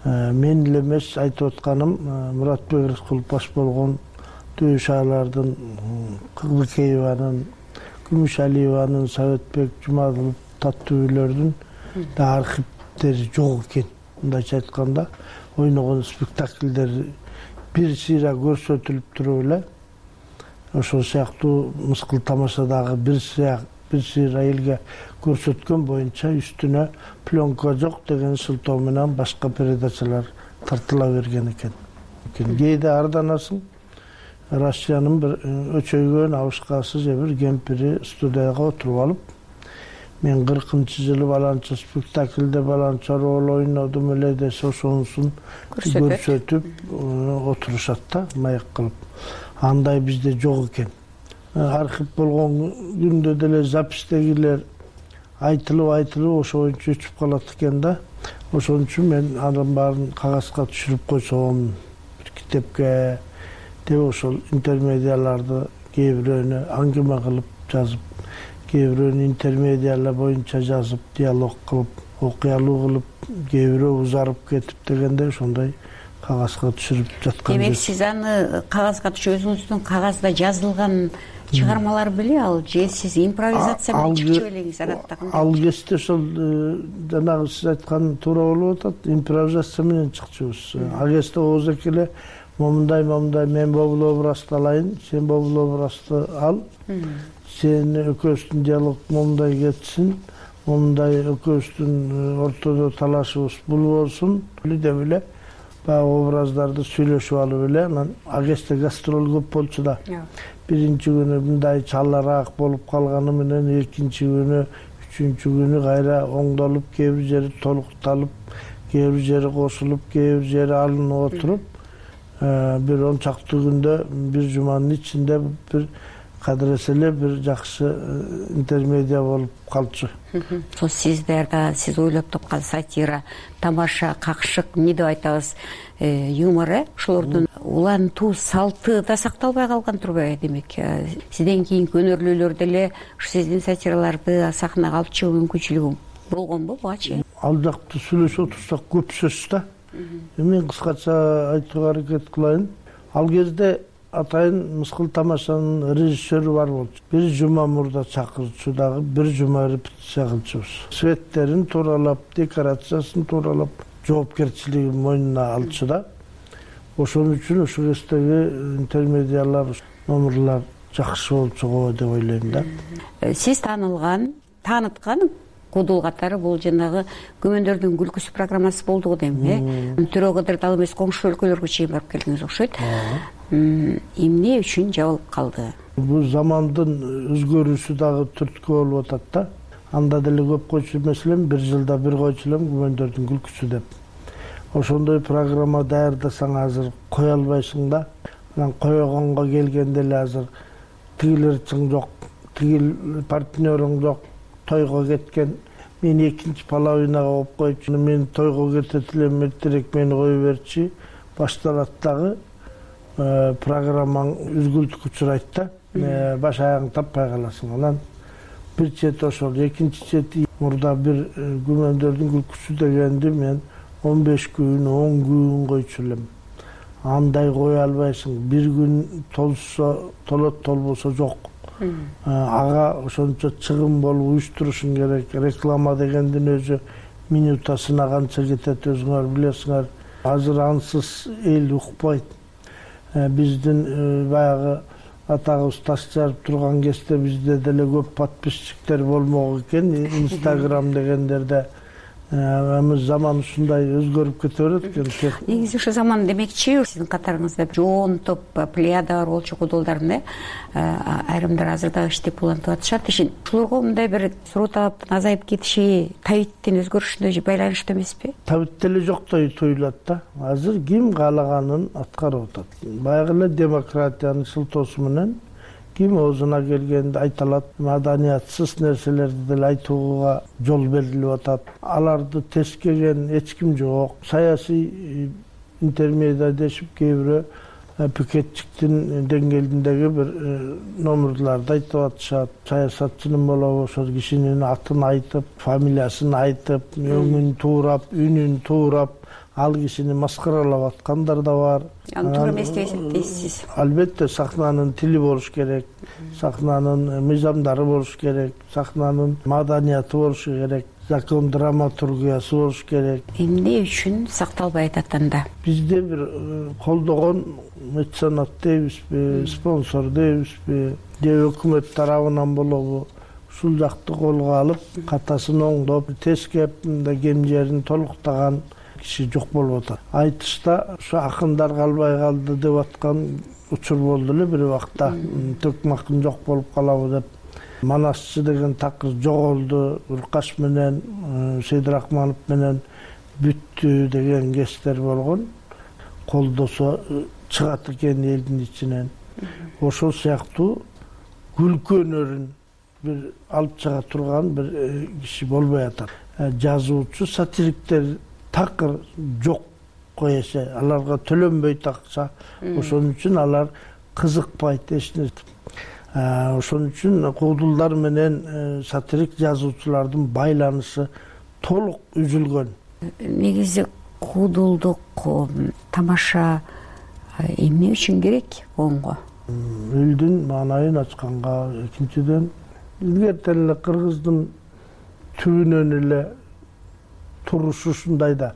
Мен эле эмес айтып атканым, Муратбек Рыскулов баш болгон Дөшалардын, Кырлыкееванын, Күмүшалиеванын, Советбек Жумадылов таттуулөрдүн да архивдери жок экен. Мындайча айтканда, ойногон спектакльдер бир сыйра көрсөтүлүп туруп эле ошол сыяктуу мыскыл тамашадагы бир бир сыйра элге көрсөткөн боюнча үстүнө пленка жок деген сылтоо менен башка передачалар тартыла берген экен. Кээде арданасың, Россиянын бир өчөйгөн абышкасы же бир кемпири студияга отуруп алып, мен кыркынчы жылы баланча спектакльде баланча роль ойнодум эле десе ошонусун көрсөтүп отурушат да, маек кылып. Андай бизде жок экен. Архив болгон күндө деле запистегилер айтылып айтылып ошо боюнча өчүп калат экен да. Ошон үчүн мен анын баарын кагазга түшүрүп койсом, бир китепке деп ошол интермедиаларды кээ бирөөнү аңгеме кылып жазып, кээ бирөөнү интермедиалар боюнча жазып, диалог кылып, окуялуу кылып, кээ бирөө узарып кетип дегенде ошондой кагазга түшүрүп жаткан. Демек сиз аны кагазга түшүрүп, өзүңүздүн кагазда жазылган чыгармалар беле ал, же сиз импровизация менен чыкчу элеңиз адаттагы? Ал кезде ошол жанагы сиз айткан туура болуп атат, импровизация менен чыкчубуз. Ал кезде ооз эле момундай момундай мен бобул образды алайын, сен бобул образды ал, сен экөөбүздүн диалог момундай кетсин, момундай экөөбүздүн ортодо талашыбыз бул болсун деп эле баягы образдарды сүйлөшүп алып эле анан агесте гастроль көп болчу да. Биринчи күнү мындай чалараак болуп калганы менен экинчи күнү, үчүнчү күнү кайра оңдолуп, кээ бир жери толукталып, кээ бир жери кошулуп, кээ бир жери алынып отуруп, бир он чакты күндө, бир жуманын ичинде бир кадыресе эле бир жакшы интермедиа болуп калчу. Ошо сиздерде сиз ойлоп тапкан сатира, тамаша, какшык, эмне деп айтабыз, юмор, э ошолордун улантуу салты да сакталбай калган турбайбы? Демек, сизден кийинки өнөрлүүлөр деле ушу сиздин сатираларды сахнага алып чыгуу мүмкүнчүлүгү болгонбу бугачы? Ал жакты сүйлөшүп отурсак көп сөз да. Мен кыскача айтууга аракет кылайын. Ал кезде атайын Мыскыл тамашанын режиссеру бар болчу. Бир жума мурда чакырчу дагы, бир жума репетиция кылчубуз. Светтерин тууралап, декорациясын тууралап, жоопкерчилигин мойнуна алчу да. Ошон үчүн ушул кездеги интермедиалар, номерлар жакшы болчу го деп ойлойм да. Сиз таанылган, тааныткан Кудул катары бул жанагы Күмөндөрдүн күлкүсү программасы болду го дейм, э? Төрө кадыр дал эмес коңшу өлкөлөргө чейин барып келдиңиз окшойт. Эмне үчүн жабылып калды? Бул замандын өзгөрүүсү дагы түрткү болуп атат да. Анда деле көп койчу маселем, бир жылда бир койчу элем Күмөндөрдүн күлкүсү деп. Ошондой программа даярдасаң азыр кое албайсың да. Анан койгонго келгенде эле азыр тигилер чың жок, тигил партнерың жок, тойго кеткен. Мен экинчи половинага болуп койчу. Мен тойго кетет элем, эртерээк мени кое берчи. Башталат дагы программаң үзгүлтүккө учурайт да. Баш аягын таппай каласың. Анан бир чети ошол, экинчи чети мурда бир Күмөндөрдүн күлкүсү дегенди мен он беш күн, он күн койчу элем. Андай кое албайсың. Бир күн толсо, толот, толбосо жок. Ага ошончо чыгым болуп уюштурушуң керек. Реклама дегендин өзү минутасына канча кетет өзүңөр билесиңер. Азыр ансыз эл укпайт. Биздин баягы атагыбыз таш жарып турган кезде бизде деле көп подписчиктер болмок экен. Инстаграм дегендерде эми заман ушундай өзгөрүп кете берет экен. Негизи ушу заман демекчи, сиздин катарыңызда жоон топ плеяда бар болчу кудулдардын, айрымдар азыр дагы иштеп улантып атышат. Ушуларга мындай бир суроо-талаптын азайып кетиши табиттин өзгөрүшүнө байланыштуу эмеспи? Табит деле жоктой туюлат да. Азыр ким каалаганын аткарып атат. Баягы эле демократиянын шылтоосу менен ким оозуна келгенди айта алат. Маданиятсыз нерселерди деле айтууга жол берилип атат. Аларды тескеген эч ким жок. Саясий интермедиа дешип кээ бирөө пикетчиктин деңгээлиндеги бир номерларды айтып атышат. Саясатчынын болобу ошол кишинин атын айтып, фамилиясын айтып, өңүн туурап, үнүн туурап, ал кишини маскаралап аткандар да бар. Аны туура эмес деп эсептейсиз? Албетте сахнанын тили болуш керек, сахнанын мыйзамдары болуш керек, сахнанын маданияты болуш керек, закон драматургиясы болуш керек. Эмне үчүн сакталбай атат анда? Бизде бир колдогон меценат дейбизби, спонсор дейбизби, же өкмөт тарабынан болобу, ушул жакты колго алып, катасын оңдоп, тескеп, кем жерин толуктаган киши жок болуп атат. Айтышта ушу акындар калбай калды деп аткан учур болду эле бир убакта. Төкмакын жок болуп калабы деп. Манасчы деген такыр жоголду. Уркаш менен Сейдирахманов менен бүттү деген кештер болгон. Колдосо чыгат экен элдин ичинен. Ошол сыяктуу күлкү өнөрүн бир алып чыга турган бир киши болбой атат. Жазуучу, сатириктер такыр жок коесе, аларга төлөнбөйт акча. Ошон үчүн алар кызыкпайт эч нерсе. Ошон үчүн кудулдар менен сатирик жазуучулардын байланышы толук үзүлгөн. Негизи кудулдук тамаша эмне үчүн керек коомго? Элдин маанайын ачканга, экинчиден илгертен эле кыргыздын түбүнөн эле турушу ушундай да.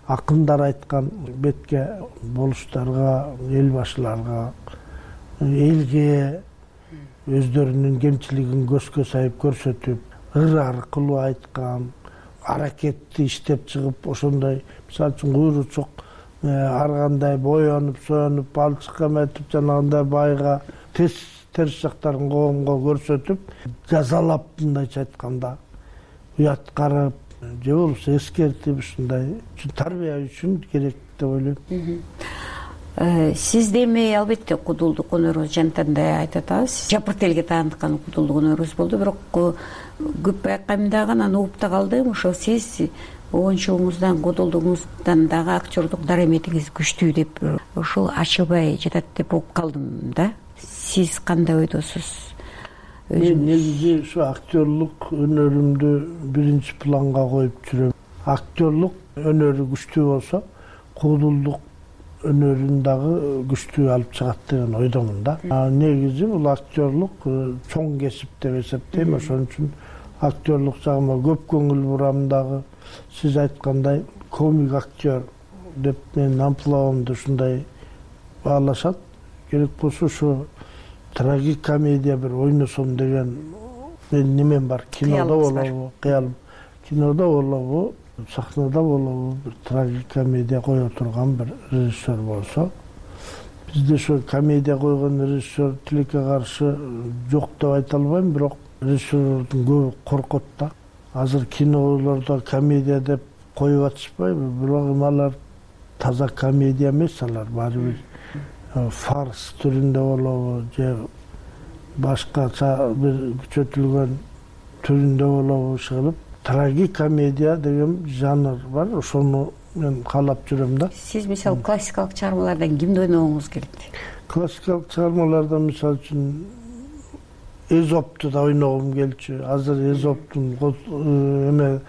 Акындар айткан бетке болуштарга, эл башыларга, элге өздөрүнүн кемчилигин көзгө сайып көрсөтүп, ыр аркылуу айткан, аракетти иштеп чыгып, ошондой, мисалы үчүн куйручук ар кандай боенуп союнуп балчык эметип жанагындай байга терс терс жактарын коомго көрсөтүп жазалап, мындайча айтканда уят карап же болбосо эскертип ушундай тарбия үчүн керек деп ойлойм. Сиз эми албетте кудулдук өнөрүңүз жантан да айтып атабыз. Жапырт элге тааныккан кудулдук өнөрүңүз болду, бирок көп байкайм дагы анан угуп да калдым. Ошол сиз оюнчулугуңуздан, кудулдугуңуздан дагы актердук дараметиңиз күчтүү деп ошол ачылбай жатат деп угуп калдым да. Сиз кандай ойдосуз? Мен негизи ушу актерлук өнөрүмдү биринчи планга коюп жүрөм. Актерлук өнөрү күчтүү болсо, кудулдук өнөрүн дагы күчтүү алып чыгат деген ойдомун да. Негизи бул актерлук чоң кесип деп эсептейм. Ошон үчүн актерлук жагыма көп көңүл бурам дагы. Сиз айткандай комик актер деп менин амплуамды ушундай баалашат. Керек болсо ушу трагикомедия бир ойносом деген менин немем бар. Кинодо болобу, кыялым. Кинодо болобу, сахнада болобу бир трагикомедия кое турган бир режиссер болсо. Бизде ошо комедия койгон режиссер тилекке каршы жок деп айта албайм, бирок режиссерлордун көбү коркот да. Азыр кинолордо комедия деп коюп атышпайбы, бирок алар таза комедия эмес, алар баары бир фарс түрүндө болобу же башкача бир күчөтүлгөн түрүндө болобу иш кылып. Трагикомедия деген жанр бар, ошону мен каалап жүрөм да. Сиз мисалы классикалык чыгармалардан кимди ойногуңуз келет? Классикалык чыгармалардан мисалы үчүн Эзопту да ойногум келчү. Азыр Эзоптун эме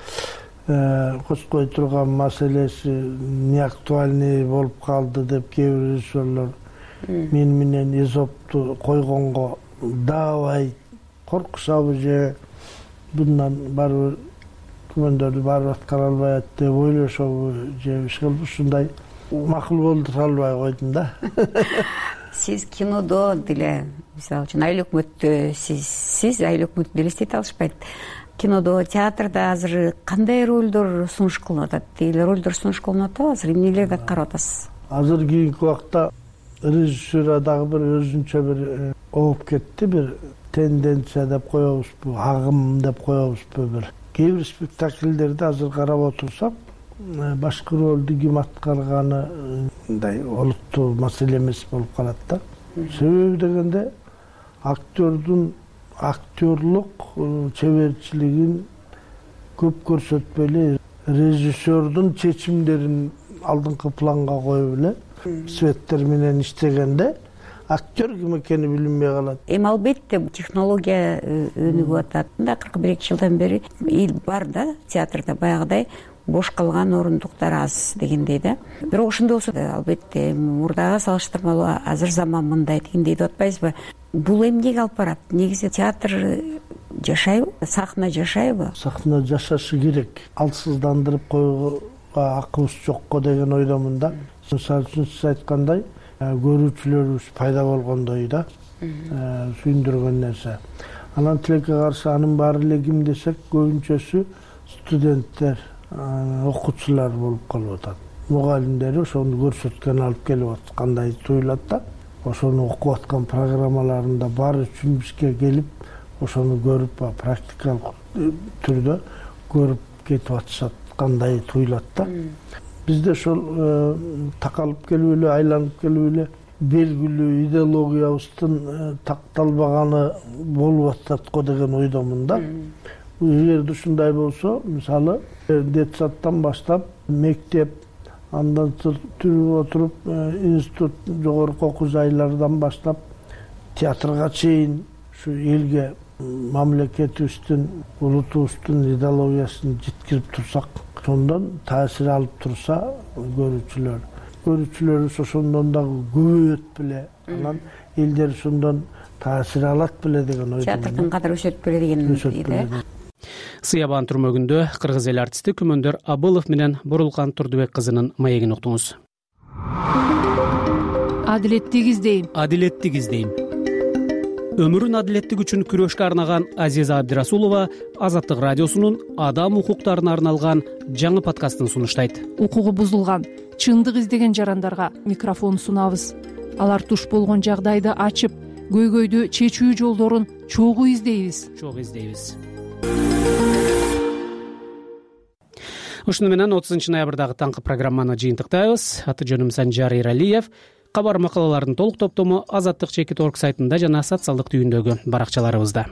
кочкой турган маселеси неактуальный болуп калды деп кээ бир режиссерлор мен менен Эзопту койгонго даабай коркушабы же bundan baribir күмөндөрдү барып аткара албайт деп ойлошобу же иш кылып ушундай макул болдура албай койдум да. Сиз кинодо деле мисалы үчүн Айыл өкмөттө сиз сиз Айыл өкмөттү элестете алышпайт. Кинодо, театрда азыр кандай ролдор сунуш кылынып атат? Деги ролдор сунуш кылынып атабы? Азыр эмнелерди карап атасыз? Азыр кийинки убакта режиссура дагы бир өзүнчө бир ооп кетти, бир тенденция деп коебузбу, агым деп коебузбу бир. Кээ бир спектакльдерди азыр карап отурсак, башкы ролду ким аткарганы мындай олуттуу маселе эмес болуп калат да. Себеби дегенде актердун актерлук чеберчилигин көп көрсөтпөй эле режиссердун чечимдерин алдыңкы планга коюп эле светтер менен иштегенде актер ким экени билинбей калат. Эми албетте технология өнүгүп атат да, кырк бир жылдан бери эл бар да, театрда баягыдай бош калган орундуктар аз дегендей да. Бирок ошондой болсо албетте мурдага салыштырмалуу азыр заман мындай дегендей деп атпайсызбы? Бул эмнеге алып барат? Негизи театр жашайбы? Сахна жашайбы? Сахна жашашы керек. Алсыздандырып койгонго акыбыз жокко деген ойдомун да. Мисалы үчүн сиз айткандай, көрүүчүлөрүбүз пайда болгондой да, сүйүндүргөн нерсе. Анан тилекке каршы анын баары эле ким десек, көбүнчөсү студенттер, окуучулар болуп калып атат. Мугалимдери ошону көрсөткөн алып келип аткандай туюлат да. Ошону окуп аткан программаларында баары чүмүшкө келип, ошону көрүп, практикалык түрдө көрүп кетип атышаткандай туюлат да. Бизде ошол такалып келип эле, айланып келип эле белгилүү идеологиябыздын такталбаганы болуп атат го деген ойдомун да. Эгерде ушундай болсо, мисалы, детсадтан баштап мектеп, андан түрүп отуруп институт, жогорку окуу жайлардан баштап театрга чейин ушу элге мамлекетибиздин, улутубуздун идеологиясын жеткирип турсак, ошондон таасир алып турса көрүүчүлөр, көрүүчүлөрүбүз ошондон дагы көбөйөт беле, анан элдер ошондон таасир алат беле деген ойдомун. Театрдын кадыры өсөт беле деген. Сыябан түрмөгүндө кыргыз эл артисти Күмөндөр Абылов менен Бурулкан Турдубек кызынын маегин уктуңуз. Адилеттик издейм. Адилеттик издейм. өмүрүн адилеттик үчүн күрөшкө арнаган Азиза Абдирасулова Азаттык радиосунун адам укуктарына арналган жаңы подкастын сунуштайт. Укугу бузулган, чындык издеген жарандарга микрофон сунабыз. Алар туш болгон жагдайды ачып, көйгөйдү чечүү жолдорун чогуу издейбиз. Чогуу издейбиз. Ушуну менен отузунчу ноябрдагы таңкы программаны жыйынтыктайбыз. Аты жөнүм Санжар Иралиев. Кабар макалалардын толук топтому Азаттык чекит точка орг сайтында жана социалдык түйүндөгү баракчаларыбызда.